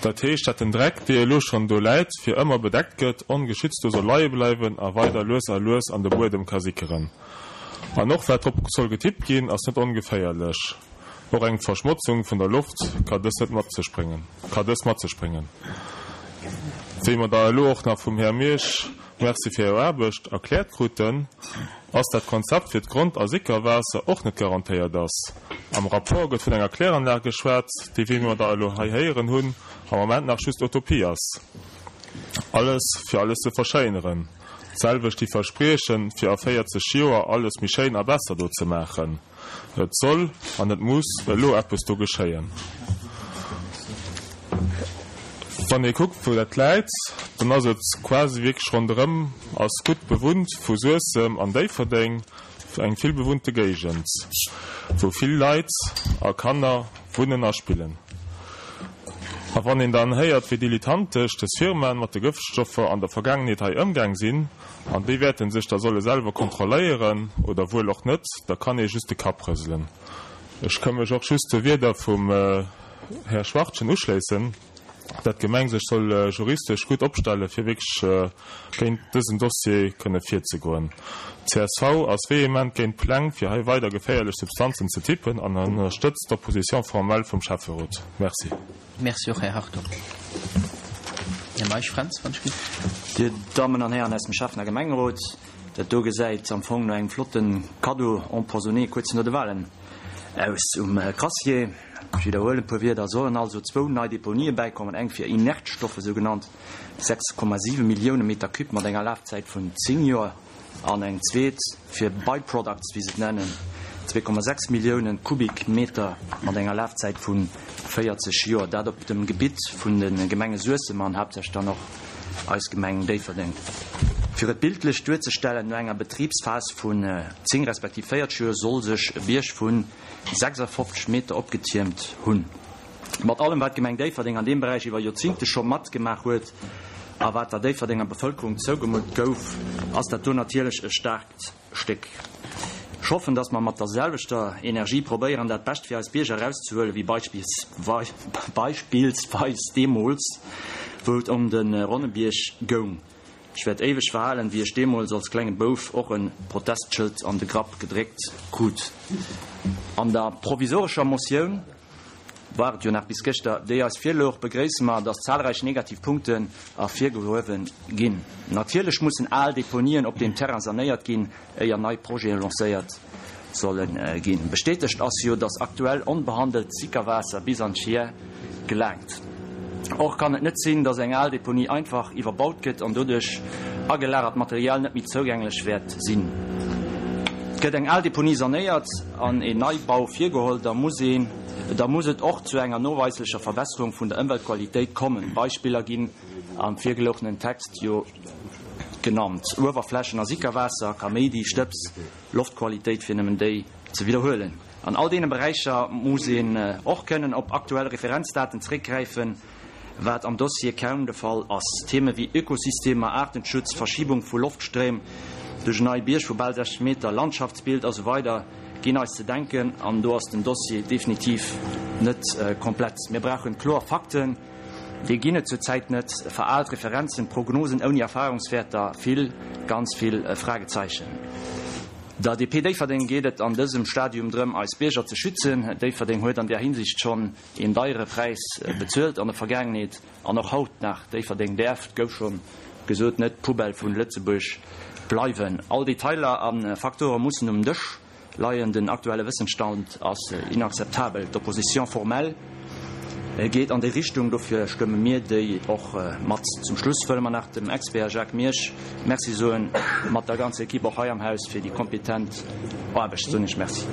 Dat heescht, dat den Dreck, dee elo schonn do läit, fir ëmmer bedeckt gëtt, ongeschützt do soll leie bleiwen a weider lues a lues an de Buedem ka sickeren. An och wat drop soll getippt ginn, ass net ongeféierlech. Och eng Verschmotzung vun der Loft ka dës net mat sech bréngen, ka dës mat sech bréngen. Wéi mer da elo och nach vum Här Miersch, Merci fir Är Aarbecht, erkläert kruten, ass dat Konzept fir d'Grond a Sickerwaasser och net garantéiert ass. Am Rapport gëtt vun enger Kläranlag geschwat, déi, wéi mer da elo hei héieren hunn, am Moment nach just Utopie ass. Alles, fir alles ze verschéineren. D'selwecht déi Verspriechen, fir a véierzeg Joer alles méi schéin a besser do ze maachen. Et soll an et muss elo eppes do geschéien. Wann ee kuckt, wou dat läit, dann ass et quasi wierklech ronderëm ass gutt bewunnt, vu Suessem an Déifferdeng, eng vill bewunnte Géigend, wou vill Leit a Kanner wunnen a spillen. A wann een dann héiert, wéi dilettantesch dës Firmaen mat de Gëftstoffer an der Vergaangenheet hei ëmgaang sinn, an déi wäerten sech da solle selwer kontrolléieren, oder wuel och net, da kann ee just de Kapp rëselen. Ech ka mech och just de Wierder vum Här Schwachtgen uschléissen, dat d'Gemeng sech soll juristesch gutt opstelle fir wierklech géint dësen Dossier kënne virzegoen. Csv ass vehement géint d'Pläng fir hei weider geféierlech Substanzen ze tippen an ënnerstëtzt d'Opposition formelle vum Schäfferot. Merci. Merci och, Här Hartung. Här Meisch Fränz, wann ech giff. Dir Dammen an Hären aus dem Schäffen a Gemengerot, dat do gesäit am Fong no engem flotte Cadeau empoisonné kuerz no de Wahlen aus. Um Crassier, ech widderhuelen e puer Wierder, sollen also zwou nei Deponië bäikommen, eng fir Inertstoffe, sou genannt sechs Komma siwe Millioune Meter cube mat enger Lafzäit vun zéng Joer, an eng zweet fir By-products, wéi se et nennen, zwee Komma sechs Millioune Kubikmeter mat enger Lafzäit vu véierzeg Joer, dat op dem Gebitt vun de Gemenge Suessem an haaptsächlech dann och eis Gemeng Déifferdeng. Fir et bildlech duerzestellen, no enger Betribsphas vun zéng respektiv véierzeg Joer soll sech e Bierg vu sechsafofzeg Meter opgetiermt hunn. Mat allem wat d'Gemeng Déifferdeng an deem Beräich iwwer Joerzingte scho matgemaach huet a wat der Déifferdenger Bevëlkerung zougemutt gouf, ass dat do natierlech e staarkt Stéck. Ech hoffen, dass mer mat der selwechter Energie probéieren, dat Bescht fir eis Bierger erauszehuelen, wéi beispillsweis deemools, wou et ëm de Ronnebierg goung. Ech wäert éiweg verhalen, wéi ech deemools als klenge Bouf och e Protestschëld an de Grapp gedréckt krut. An der provisorescher Motioun war et jo nach bis gëschter, déi eis virlouch, begréisse mer, dass zahlreich negativ Punkten ervirgehuewe ginn. Natierlech mussen al Deponien op deem Terrain sanéiert ginn, éier nei Projete lancéiert solle ginn. Bestätegt ass jo, dass aktuell onbehandelt Sickerwaasser bis an d'Chier gelaangt. Och kann et net sinn, dass eng al Deponie einfach iwwerbaut gëtt an doduerch agelagert Material net méi zougänglech wäert sinn. Gëtt eng al Deponie sanéiert an een Neibau virgeholl, da muss een, da muss et och zu enger noweislecher Verbesserung vun der Ëmweltqualitéit kommen. Beispiller ginn am virgelouchenen Text jo genannt, Uewerflächen a Sickerwaasser, Kaméidi, Stëbs, Loftqualitéit, fir nëmmen déi ze widderhuelen. An all deene Beräicher muss een och kënnen op aktuell Referenzdaten zréckgräifen, wat am Dossier kaum de Fall ass. Theme wéi Ökosystemer, Aartenschutz, Verschibung vu Loftstréim duerch en neie Bierg vu bal sechzeg Meter, Landschaftsbild a sou weider ginn eis ze denken an do ass den Dossier definitiv net komplett. Mir brauchen kloer Fakten, déi ginn et zur Zäit net. Veraalt Referenzen, Prognosen ouni Erfahrungswäerter, vill, ganz vill Fragezeichen. Der D P Déifferdeng geet et an dësem Stadium drëm, eis Bierger ze schützen. Déifferdeng huet an där Hinsicht schonn een deiere Präis bezuelt an der Vergaangenheet an och haut nach. Déifferdeng däerf, et gouf scho gesot, net d'Poubelle vun Lëtzebuerg bleiwen. All Detailer a Faktore mussen um Dësch leien. Den aktuelle Wëssensstand ass inakzeptabel. D'Opposition formelle geet an déi Richtung, dofir stëmme mir déi och mat. Zum Schluss wëlle mer nach dem Expert Jacques Miersch Merci soen, mat der ganzer Equipe och hei am Haus, fir déi kompetent Aarbecht. Soen ech Merci.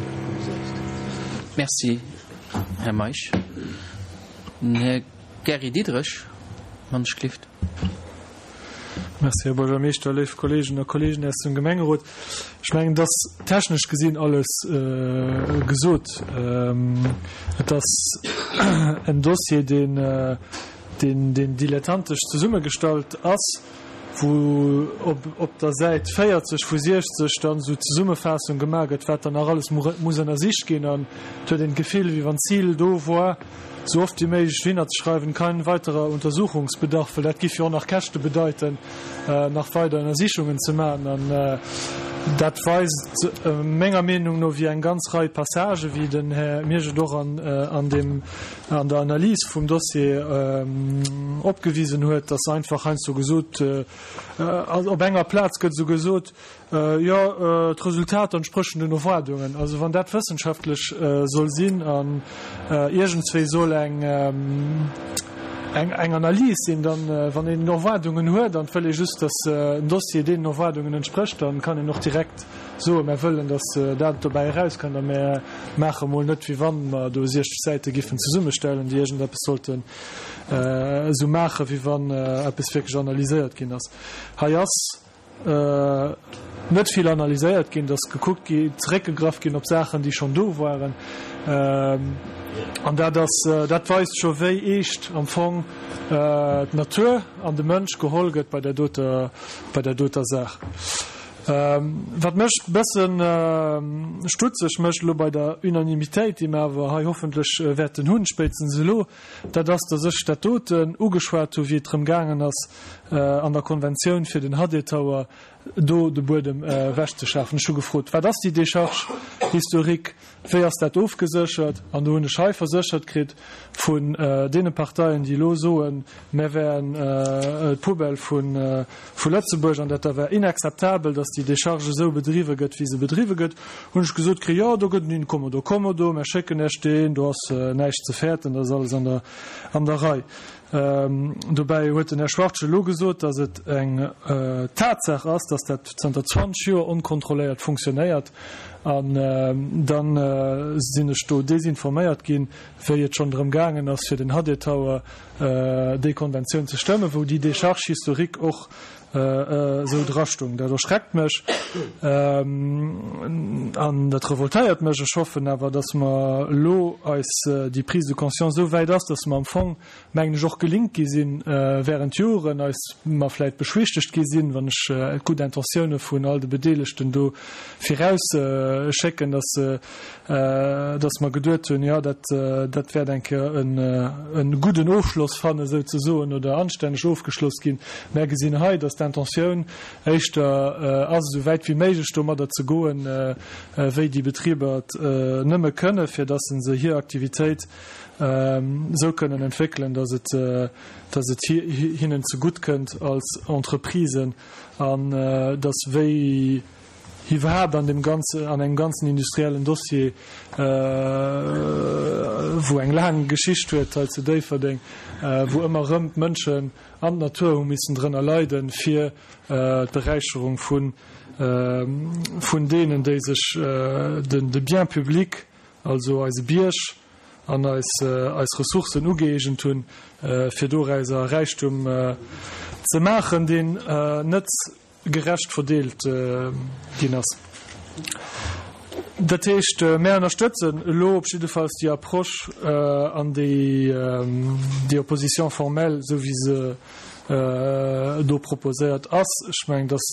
Merci, Här Meisch. Den Här Gary Diderich, wann ech gelift. Merci, Här Buergermeeschter, léif Kolleegen a Kolleegen aus dem Gemengerot. Ech mengen, et ass technesch gesinn alles gesot. Et ass en Dossier, deen, deen, deen dilettantesch zesummegestallt ass, wou op, op der Säit véierzeg vu siechzeg dann esou d'Zesummefaassung gemaach gëtt, wat dann nach alles muss ënnersicht ginn. An et huet een d'Gefill, wéi wann d'Zil do war, sou oft wéi méiglech dohinner ze schreiwen, kein weiterer Untersuchungsbedarf, well dat giff jo och nach Käschte bedeiten, nach weider Ënnersichungen ze maachen. An dat weist menger Meenung no, wéi eng ganz Rei Passagen, wéi den Här Miersch et och an, an deem, an der Analys vum Dossier opgewisen huet, dass einfach heiansdo gesot, op enger Plaz gëtt esou gesot, Jo, d'Resultater entsprechen den Erwaardungen. Also wann dat wëssenschaftlech soll sinn an iergendswéi soll eng eng Analys sinn, dann, wann een Erwaardungen huet an et wëll ee just, datt en Dossier deenen Erwaardungen entsprécht, dann kann een och direkt soen, mär wëllen, datt dat dobäi erauskënnt a mär maache mol net, wéi wann mer do siechzeg Säite giffen zesummestellen, déi iergendeppes sollten esou maachen, wéi wann eppes wierklech analyséiert ginn ass. Hei ass net vill analyséiert ginn, et ass gekuckt gi, zeréckgegraff ginn op Saachen, déi schonn do waren. An dat ass, dat weist scho wéi eescht am Fong d'Natur an de Mënsch geholl gëtt bei där doter, bei där doter Saach. Wat mech e bëssen stutzeg mécht elo bei der Unanimitéit, déi mer awer hei hoffentlech wäerten hunn, spéitstens elo, dat ass, dass ech dat doten ugeschwat hu wéi et drëm gaangen ass, an der Konventioun fir den H D Tower do de Buedem ewechzeschafen. Ech hu gefrot, Wat ass déi Décharge historique? Wéi ass dat ofgeséchert? An do hunn ech hei verséchert kritt vun deene Parteien, déi elo soen, mär wären d'Poubelle vu Lëtzebuerg an dat da wär inakzeptabel, datt déi Décharge esou bedriwwe gëtt, wéi se bedriwwe gëtt, hunn ech gesot kritt, Jo, do gëtt en in commodo commodo, mär schécken Iech deen, do ass näischt ze fäerten, dat ass alles an der Rei. Dobäi huet den Här Schwartz elo gesot, datt et eng Tatsaach ass, datt dat zanter zwanzeg Joer onkontrolléiert funktionéiert. An da sinn ech do desinforméiert ginn, wéi et schonn drëm gaangen ass, fir den H D Tower déi Konventioun ze stëmmen, wou déi Décharge historique och esou drastung. Dat erschreckt mech an dat revoltéiert mech. Ech hoffen awer, datt mer elo eis déi Prise de conscience esou wäit ass, datt mer am Fong, mengen ech, och gelinkt gi sinn während Joren, eis mer vläit beschwichtegt gi sinn, wann ech d'gutt Intentioune vun all de Bedeelegten do virausschécken, datt datt mer geduet hunn, jo, dat dat wäert eng Kéier e gudden Ofschloss fannen, souzesoen, oder anstänneg ofgeschloss ginn. Mär gesinn hei, datt d'Intentioun éischter ass, esou wäit wéi méiglech domadder ze goen, wéi déi Betriber et nëmme kënnen, fir datt se hir Aktivitéit esou kënnen entwéckelen, datt et datt et hinnen zegutt kënnt als Entreprisen an datt wéi iwwerhaapt an deem ganze an engem ganzen industriellen Dossier, wou eng laang Geschicht huet hei zu Déifferdeng, wou ëmmer erëm d'Mënschen an d'Natur hu missen drënner leiden, fir d'Beräicherung vun vun deenen, déi sech den de Bien public, also eise Bierg an eis eis Ressourcen ugëeegent hunn, fir dorauser Räichtum ze maachen, deen net gerecht verdeelt ginn ass. Dat heescht, mär ënnerstëtzen elo op jiddefalls déi Approche an déi déi Opposition formelle, esou wéi se do proposéiert ass. Ech mengen, dass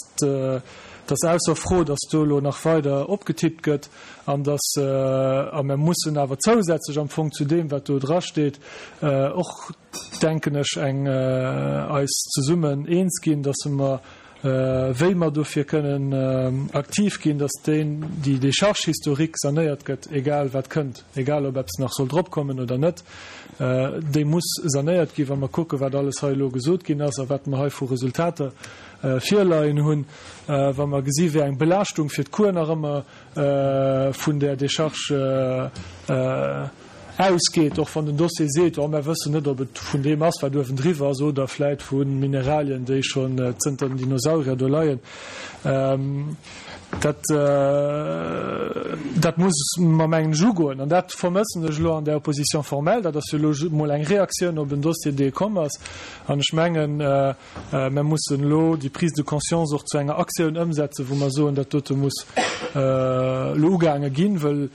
dass ausser Fro, dass do elo nach weider opgetippt gëtt an dass, a mär mussen awer zousätzlech am Fong zu deem, wat do drasteet, och, denken ech, eng eis zesummen eens ginn, dass mer wéi mer dofir kënnen aktiv ginn, dass deen, déi Décharge historique sanéiert gëtt, egal wat kënnt, egal ob eppes nach soll dropkommen oder net, déi muss sanéiert ginn, wa mer kucken, wat alles hei elo gesot ginn ass a wat mer hei vu Resultater virleien hunn, wa mer gesi wéi eng Belaaschtung fir d'Cour nach ëmmer vun där Décharge ausgeet, och wann den Dossier seet, oh mär wëssen net, ob et vun deem ass, wat uewendriwwer ass, oder vläit vu Mineralien, déi schonn zënter den Dinosaurier do leien. Dat, dat muss mer, mengen ech, ugoen. An dat vermëssen ech elo an där Opposition formelle. Dat ass jo elo mol eng Reaktioun op en Dossier, dee komm ass. An ech mengen, mer mussen elo déi Prise de conscience och zu enger Aktioun ëmsetzen, wou mer soen, dat dote muss elo ugaange ginn, wëll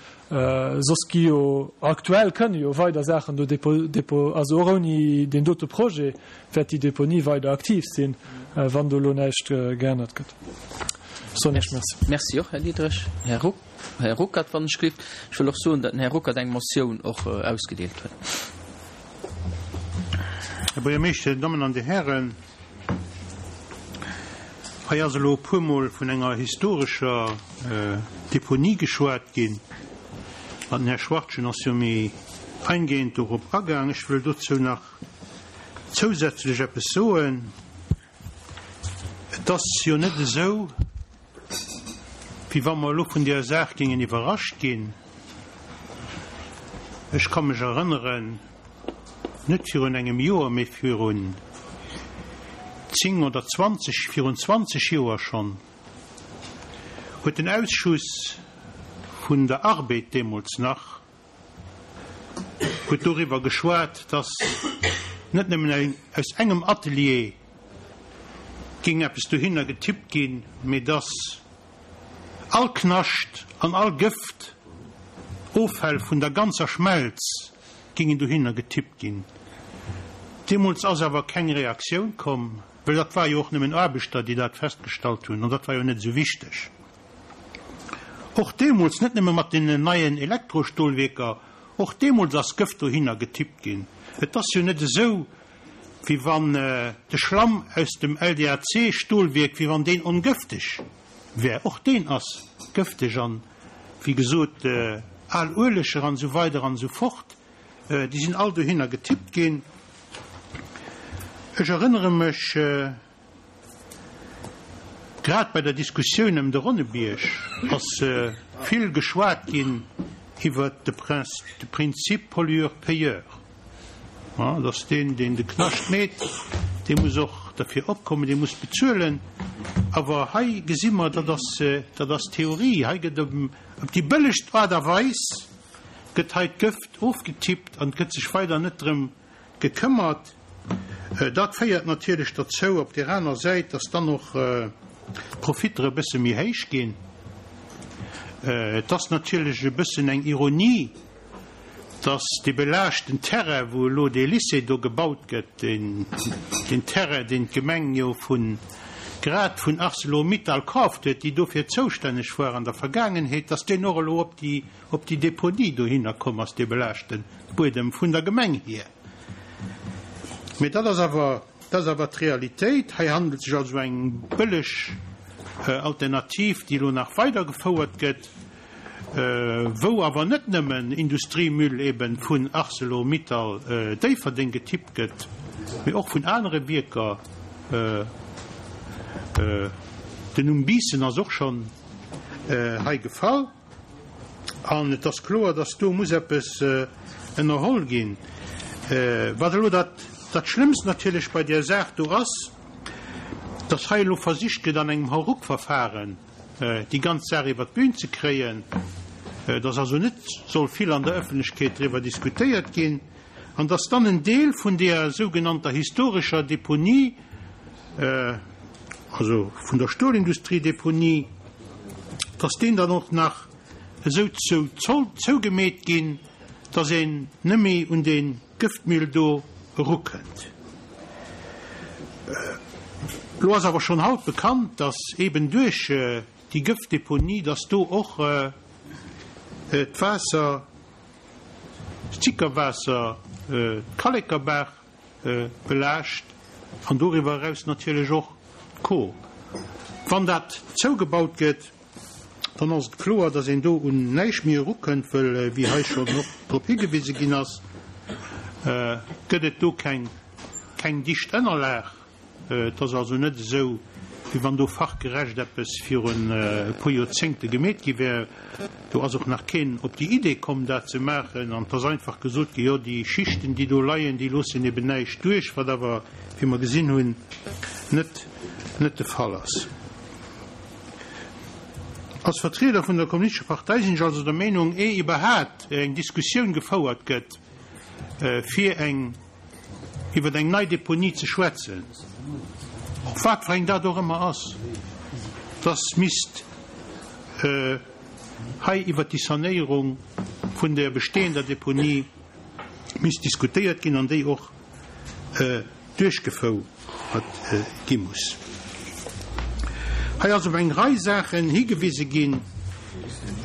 soss gi jo aktuell kënne jo weider Saachen do depo, also och ouni deen dote Projet wäert déi Deponie weider aktiv sinn, wann do elo näischt geännert gëtt. Soen ech Merci. Merci och, Här Diderich. Här Ruck, Här Ruckert, wann ech gelift. Ech wëll och soen, datt den Här Ruckert eng Motioun och ausgedeelt huet. Här Buergermeeschter, Dir Dammen an Dir Hären, hei ass elo e puermol vun enger historescher Deponie geschwat ginn an den Här Schwartgen ass jo méi eingehend dorop agaang. Ech wëll dozou nach zousätzlech eppes soen. Et ass jo net esou, wéi wa mer elo vun där Saach géingen iwwerrascht ginn. Ech ka mech erënneren, net virun engem Joer, mee virun zéng oder zwanzeg, virun zwanzeg Joer schonn, huet den Ausschuss vun der Arbed deemools nach, huet doriwwer geschwat, dass net nëmmen aus engem Atelier géing eppes dohinner getippt ginn, mee dass all Knascht an all Gëft, Offäll vun der ganzer Schmelz géingen dohinner getippt ginn. Deemools ass awer keng Reaktioun komm. Well dat war jo och nëmmen Aarbechter, déi dat festgestallt hunn, an dat war jo net esou wichteg. Och deemools, net nëmme mat deenen neien Elektrostolwierker, och deemools ass Gëft dohinner getippt ginn. Et ass jo net esou, wéi wann de Schlamm aus dem L D A C Stolwierk, wéi wann deen ongëfteg wär. Och deen ass gëfteg an, wéi gesot, al Ueleger an esou weider an esou fort, déi sinn all dohinner getippt ginn. Ech erënnere mech, grad bei der Diskussioun ëm de Ronnebierg ass vill geschwat ginn iwwert de Prinzip pollueur-payeur, dass deen, deen de Knascht meet, dee muss och derfir opkommen, dee muss bezuelen. Awer hei gesi mer, dat ass, dat ass Theorie. Hei gëtt op déi bëllegst Aart a Weis gëtt hei d'Gëft ofgetippt an et gëtt sech weider net drëm gekëmmert. Dat féiert natierlech derzou op där aner Säit, dass dann och d'Profitter e bësse méi héich ginn. Et ass natierlech e bëssen eng Ironie, dass dee belaaschten Terrain, wou elo dee Lycée do gebaut gëtt, deen Terrain, deen d'Gemeng jo vu grad vun Arcelor-Mittal kaaft huet, déi dofir zoustänneg war an der Vergaangenheet, dass deen och elo op déi op déi Deponie dohinner komm ass, dee belaaschte Buedem vun der Gemeng hier. Mee dat ass awer, dat ass awer d'Realitéit. Hei handelt sech also eng bëlleg Alternativ, déi elo nach weidergefouert gëtt, wou awer net nëmmen Industriemüll eben vun Arcelor-Mittal Déifferdeng getippt gëtt, mee och vun anere Wierker. Den Numm Biissen ass och schonn hei gefall. An et ass kloer, dass do muss eppes ënnerholl ginn. Wat elo dat Schlëmmst natierlech bei där Saach do ass, dass hei elo versicht gëtt, an engem Hauruck-Verfahren déi ganz Saach iwwert d'Bühn ze kréien, dass also net soll vill an der Ëffentlechkeet driwwer diskutéiert ginn an dass dann en Deel vun där sougenannter historescher Deponie, also vun der Stolindustrie-Deponie, dass deen dann och nach esou zou zougemeet ginn, dass een net méi un dee Gëftmüll do erukënnt. Elo ass awer schonn haut bekannt, dass eben duerch déi Gëftdeponie, dass do och d'Waasser, d'Sickerwaasser, d'Kallekerbaach belaascht an doriwwer eraus natierlech och d'Kor. Wann dat zougebaut gëtt, dann ass et kloer, dass een do un näischt méi erukënnt, wëll, wéi hei schonn och drop higewise ginn ass, gëtt et do keng, keng dicht Ënnerlag. Et ass also net esou, wéi wann do fachgerecht eppes virun e puer Joerzéngte gemeet gi wär. Do ass och nach keen op déi Idee komm, dat ze maachen. An et ass einfach gesot gi, jo, déi Schichten, déi do leien, déi loossen eben näischt duerch, wat awer, wéi mer gesinn hunn, net, net de Fall ass. Als Vertrieder vun der Kommunistescher Partei sinn ech also der Meenung, eh iwwerhaat eng Diskussioun gefouert gëtt, fir eng iwwer eng nei Deponie ze schwätzen, och wat fir eng dat och ëmmer ass, dass misst hei iwwert déi Sanéierung vun der bestehender Deponie misst diskutéiert ginn an déi och duerchgefouert gi muss. Hei ass op eng Rei Saachen higewise ginn,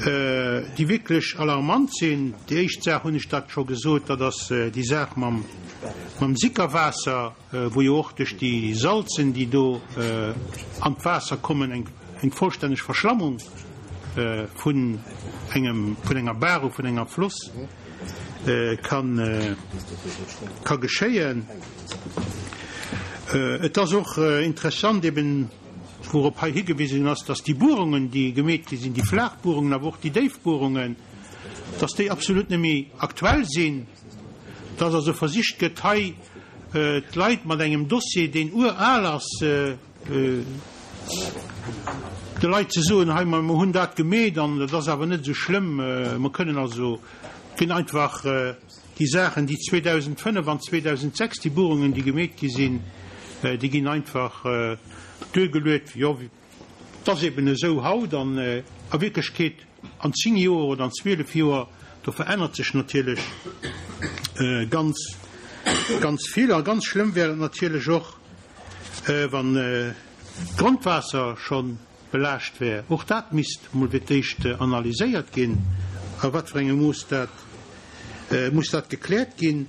déi wierklech alarmant sinn. Déi éischt Saach, hunn ech dat scho gesot, dat ass déi Saach mam Sickerwaasser, wou jo och duerch déi Salzen, déi do an d'Waasser kommen, eng vollstänneg Verschlammung vun engem, vun enger Baach oder vun enger Floss ka geschéien. Et ass och interessant eben, wourop hei higewisen ass, dass déi Buerungen, déi gemeet gi sinn, déi flaach Buerungen, awer och déi déif Buerungen, dass déi absolut net méi aktuell sinn, dass also versicht gëtt, hei d'Leit mat engem Dossier, deen ural ass, de Leit ze soen, hei, mer hunn dat gemeet an dat ass awer net esou schlëmm, mer kënnen also ginn einfach déi Saachen, déi zweedausenfënnef an zweedausendsechs, déi Buerungen, déi gemeet gi sinn, déi ginn einfach duergeluet, jo, et ass eben esou haut an a Wierklechkeet an zéng Joer oder an zwielef Joer, do verännert sech natierlech ganz, ganz vill. A ganz schlëmm wär et natierlech och, Wann d'Grondwaasser scho belaascht wär, och dat misst emol fir d'éischt analyséiert ginn, a wat fir engem Mooss dat muss dat gekläert ginn.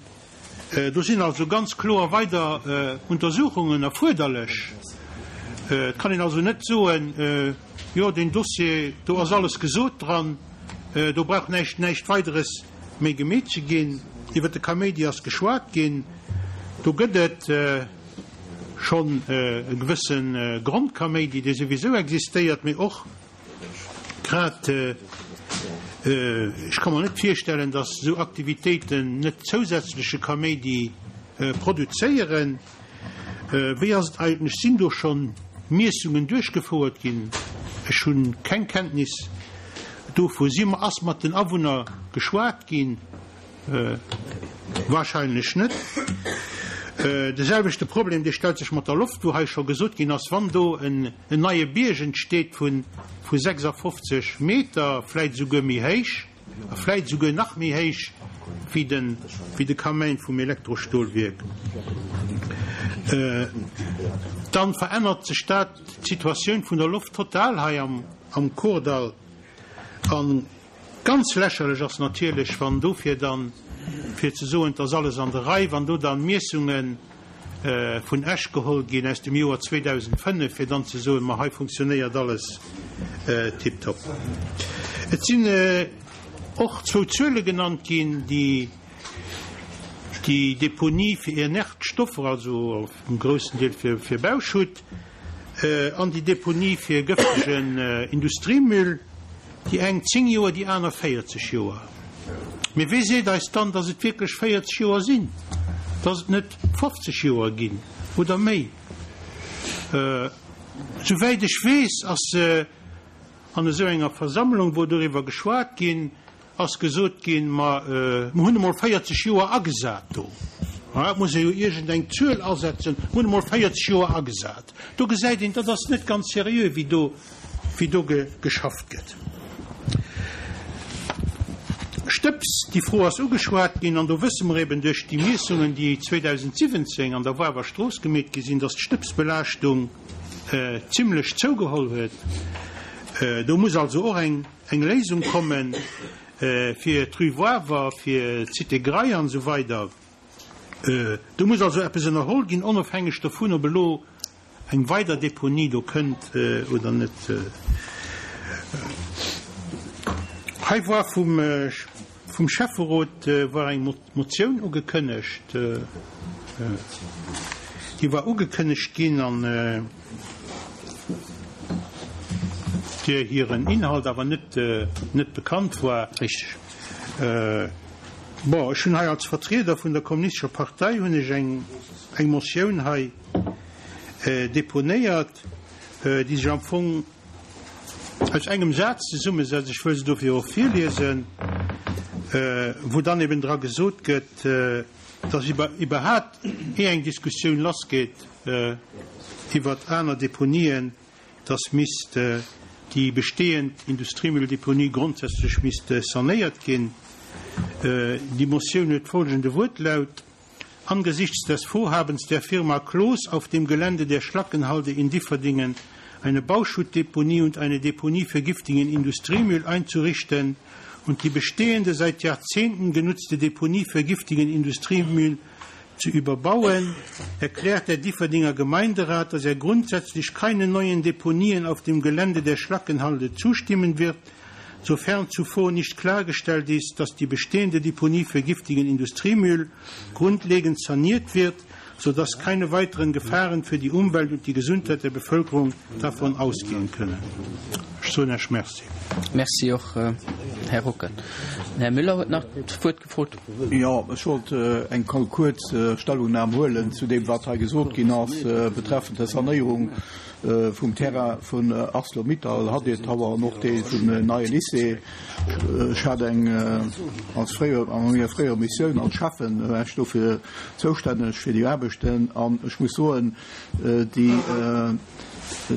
Do sinn also ganz kloer weider Untersuchungen erfuerderlech. Et kann een also net soen, Jo, deen Dossier, do ass alles gesot dran, do brauch näischt, näischt Weideres méi gemeet ze ginn. Iwwer de Kaméidi ass geschwat ginn. Do gëtt et schonn e gewësse Grondkaméidi, dee souwisou existéiert, mee och grad, ech ka mer net virstellen, datt esou Aktivitéiten net zousätzleche Kaméidi produzéieren. Wéi ass et eigentlech, sinn do scho Miessungen duerchgefouert ginn? Ech hu keng Kenntnis dovu. Si, ass mat den Awunner geschwat ginn? Wahrscheinlech net. De selwechte Problem, dee stellt sech mat der Loft, wou hei scho gesot ginn ass, wann do en neie Bierg entsteet vu sechsafofzeg Meter, vläit esouguer méi héich, a vläit esouguer nach méi héich wéi de, wéi de Kamäin vum Elektrostolwierk, dann verännert sech dat, d'Situatioun vun der Loft total hei am, am Kordall. A ganz lächerlech ass natierlech, wann dofir dann, fir ze soen, et ass alles an der Rei, wann do dann Miessunge vun Esch geholl ginn aus dem Joer zweedausendfënnef, fir dann ze soen, ma hei funktionéiert alles tiptop. Et sinn och zwou Zuele genannt ginn, déi déi Deponie fir inert Stoffer, also um groussen Deel fir Bauschutt, an déi Deponie fir gëftegen Industriemüll, déi eng zéng Joer, déi aner véierzeg Joer. Mee wee seet eis dann, datt et wierklech véierzeg Joer sinn, datt et net fofzeg Joer ginn oder méi? Souwäit ech weess, ass an esou enger Versammlung, wou doriwwer geschwat ginn ass, gesot ginn, Ma mer hunn emol véierzeg Joer agesat do. Et muss ee jo iergend eng Zuel asetzen. Mer hunn emol véierzeg Joer agesat. Do gesäit een, dat ass net ganz seriö, wéi do, wéi do geschafft gëtt. Stëbs, déi Fro ass ugeschwat ginn, an do wësse mer eben duerch déi Miessungen, déi zweedausendsiwwenzéng an der Woarwer Strooss gemeet gi sinn, dass d'Stëbsbelaaschtung zimlech zougeholl huet. Do muss also och eng Léisung komme fir d'Rue Woarwer, fir d'Cité Graille an esou weider. Do muss also eppes ënnerholl ginn, onofhängeg dovun, ob elo eng weider Deponie do kënnt oder net. Hei war vum, vum Schäfferot war eng Motioun ugekënnegt. Déi war ugekënnegt ginn an där hiren Inhalt awer net, net bekannt war. Richteg. Bon, ech hunn hei als Vertrieder vun der Kommunistescher Partei hunn ech eng, eng Motioun hei deponéiert, déi sech am Fong aus engem Saz zesummesetzt, ech wëll se dofir och virliesen, wou dann eben dra gesot gëtt, dass iwwerhaapt ier eng Diskussioun lassgeet iwwert aner Deponien, dass misst déi bestehend Industriemülldeponie grondsätzlech misst sanéiert ginn. Déi Motioun huet folgende Wuertlaut, Angesichts des Vorhabens der Firma Cloos auf dem Gelände der Schlackenhalde in Differdingen eine Bauschuttdeponie und eine Deponie für giftigen Industriemüll einzurichten und die bestehende seit Jahrzehnten genutzte Deponie für giftigen Industriemüll zu überbauen, erklärt der Differdinger Gemeinderat, dass er grundsätzlich keine neuen Deponien auf dem Gelände der Schlackenhalde zustimmen wird, sofern zuvor nicht klargestellt ist, dass die bestehende Deponie für giftigen Industriemüll grundlegend saniert wird, sodass keine weiteren Gefahren für die Umwelt und die Gesundheit der Bevölkerung davon ausgehen können. Ech soen Iech Merci. Merci och, Här Rocken. Den Här Müller huet nach d'Wuert gefrot. Jo, ech wollt eng kuerz Stellungnam huelen zu deem, wat hei gesot ginn ass betreffend der Sanéierung vum Terrain vun Arcelor-Mittal, Hadir Tower an och dee vum neie Lycée. Ech hat eng als fréier, an menger fréierer Missioun als Schäffen war ech dofir zoustänneg fir déi Aarbechten an ech muss soen, déi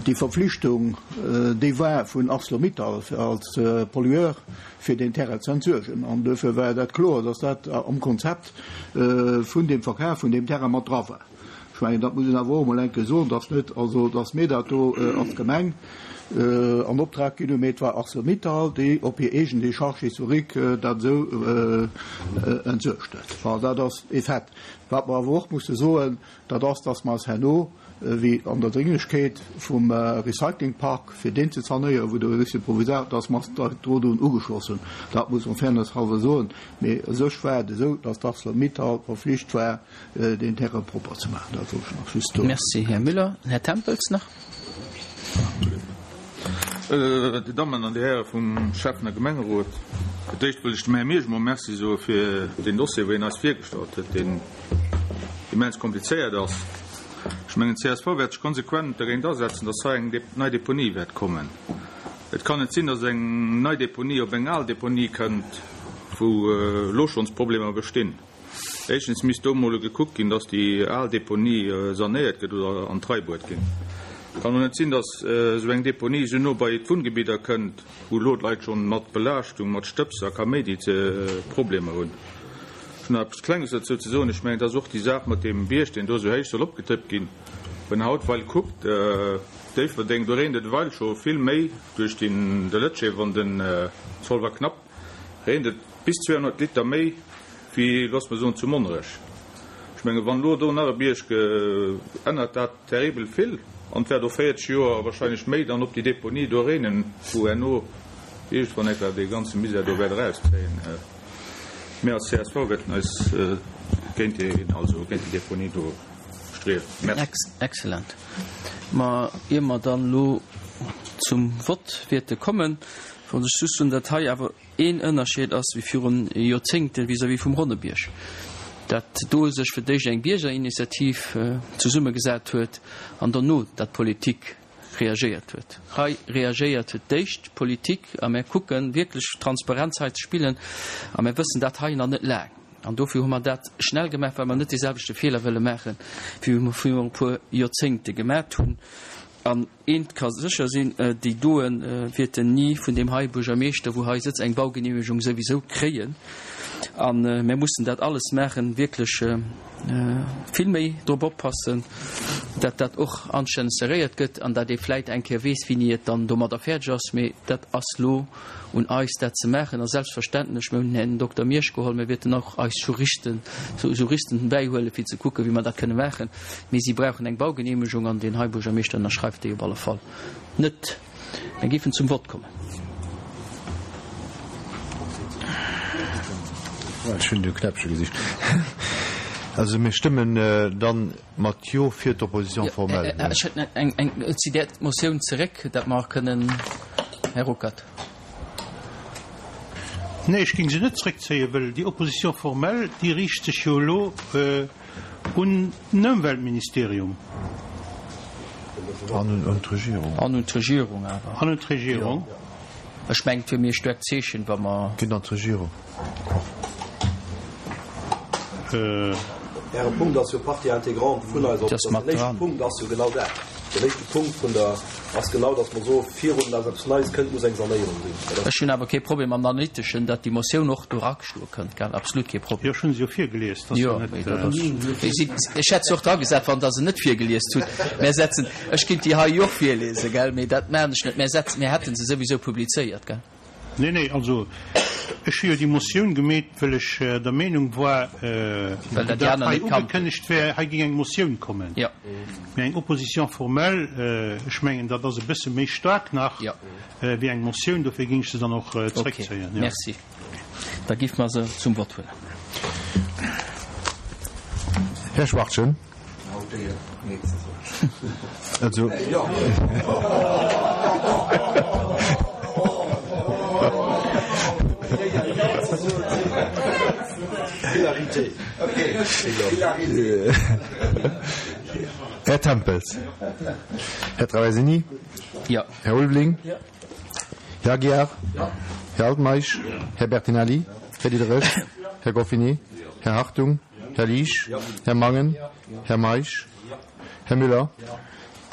déi Verpflichtung, déi war vun Arcelor-Mittal als Pollueur fir deen Terrain ze entsuergen an duerfir war dat kloer, dass dat am Konzept vun deem Verkaf vun deem Terrain mat dra war. Ech mengen, dat muss een awer och emol eng Kéier soen, dass net, also dass mir dat do als Gemeng an Optrag ginn hunn, mee et war Arcelor-Mittal, déi op hir eegen Décharge historique dat esou entsuergt huet. Enfin, dat ass e Fait. Wat mer awer och musse soen, dat ass, dass mer eis herno, wéi an der Dringlechkeet vum Recyclingpark, fir deen ze sanéieren, wou de Lycée provisoire, dass mer eis do drun ugeschloss hunn. Dat muss een Fairness halwer soen. Mee u sech war et esou, dass d'Arcelor-Mittal verflicht war, deen Terrain propper ze maachen. Dat wollt ech nach just do. Merci, Här Müller. Här Tempels nach. Dir Dammen an Dir Häre vum Schäffen a Gemengerot, fir d'éischt wëll ech dem Här Miersch emol Merci soe fir deen Dossier, wou hien eis virgestallt huet, deen immens komplizéiert ass. Ech mengen, d'CSV wäert sech konsequent dergéint asetzen, dass hei eng nei Deponie wäert kommen. Et kann net sinn, dass eng nei Deponie op eng al Deponie kënnt, wou elo schonns Problemer bestinn. Éischtens misst do emol gekuckt ginn, dass déi al Deponie sanéiert gëtt oder an d'Rei bruet ginn. Et kann och net sinn, dass esou eng Deponie esou no bei d'Wunngebidder kënnt, wou elo d'Leit schonn mat Belaaschtung, mat Stëbs a Kaméidi Problemer hunn. Ech hunn nach eppes Klenges dozou ze soen. Ech mengen, et ass och déi Saach mat deem Bierg, deen do esou héich soll opgetëppt ginn. Wann een haut ewell kuckt, Déifferdeng, do reent et ewell scho vill méi duerch de Lëtschee, wann den Zolwer knappt, reent et bis zweehonnert Liter méi wéi, looss mer soen, zu Monnerech. Ech menge wann elo do nach e Bierg ännert dat terribel vill an et wäert och véierzeg Joer, wahrscheinlech méi, dann op déi Deponie do reenen, wou herno iergendwann eng Kéier dee ganze Misär do wäert erauszéien. Mir als csv wäerten eis géint déi, also géint déi Deponie do striewen. Merci. Excellent. Ma ier mer dann elo zum Vott wäerte kommen, wollt ech just soen, datt hei awer een Ënnerscheed ass wéi virun Joerzéngte vis-à-vis vum Ronnebierg, dat do sech fir d'éischt eng Biergerinitiativ zesummegesat huet an dono dat d'Politik reagéiert huet. Hei reagéiert fir d'éischt d'Politik a mär kucke wierklech Transparenz hei ze spillen a mär wëssen dat hei nach net laang an dofir hu mer dat schnell gemaach, well mer net deeselwechte Feeler wëlle maachen, wéi mer virun e puer Joerzéngte gemat hunn. An eent ka sécher sinn, déi doe wäerten ni vun deem hei Buergermeeschter, wou hei sëtzt, eng Baugenehmegung souwisou kréien. A mir mussen dat alles maachen, wierklech vill méi drop oppassen, dat dat och anstänneg seréiert gëtt an dat ee vläit eng Kéier weess, wéini et dann domadder fäerdeg ass. Mee dat ass lo un eis, dat ze maachen. A selbstverständlech, mir hunn den Här Dokter Miersch geholl, mir wäerten och eis Juristen, Juristen bäihuelen, fir ze kucken, wéi mer dat kënne maachen. Mee si brauchen eng Baugenehmegung an deen hei Buergermeeschter ënnerschreift déi op alle Fall net. Mir géifen zum Vott kommen. Ech hunn de Knäppche gesicht. Also mir stëmmen dann mat Jo fir d'Opposition formelle. Ech hätt eng, eng, zitt Är d'Motioun zeréck, dat mer kënnen, Här Ruckert. Nee, ech géing se net zréckzéien, well déi Opposition formelle, déi riicht sech jo elo un den Ëmweltministerium. An un d'Regierung. An un d'Regierung awer. An un d'Regierung. Ech mengen, et wier méi e staarkt Zeechen, wa mer. Geet an d'Regierung. Äre Punkt ass jo Partie intégrante vun eiser Opposition. Den éischte Punkt ass jo genau dat. Den éischte Punkt vun der ass genau, datt mer soen, virun datt eppes Neies kënnt, muss eng Sanéierung sinn. Dat ass. Ech hunn awer kee Problem am Analyteschen, datt déi Motioun och do erageschloe kënnt, gell, absolut kee Problem. Jo, ech hunn se jo virgelies. Dat ass jo net. Jo, mee dat ass, ech hätt se och dragesat, wann Der se net virgelies hutt. Mär setzen, ech kinnt déi hei jo och virlesen, gell, mee dat maachen ech net. Mär setzen, mär hätte se souwisou publizéiert, gell. Nee, nee, also ech hu jo déi Motioun gemeet, well ech der Meenung war, Well dat déi datt aner hei net kannten. ugekënnegt wär, hei géing eng Motioun kommen. Jo. Mee eng Opposition formelle, ech mengen, dat ass e bësse méi staark nach Jo. wéi eng Motioun, dofir géing ech se dann och Okay, zréckzéien, jo. merci. Da géife mer se zum Vott huelen. Här Schwachtgen. Also. Här Tempels. Här Traversini. Jo. Här Ulveling. Här Aguiar. Här Altmeisch. Här Bertinelli. Här Diderich. Här Goffinet. Här Hartung. Här Liesch. Här Mangen. Här Meisch. Här Müller.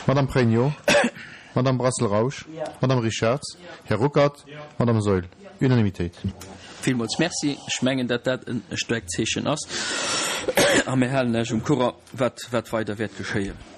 Madame Pregno. Madame Brassel-Rausch. Madame Richarz. Här Ruckert. Madame Saeul. Unanimitéit. Villmools Merci. Ech mengen, datt dat e staarkt Zeechen ass. A mir halen lech um Courant, wat, wat weider wäert geschéien.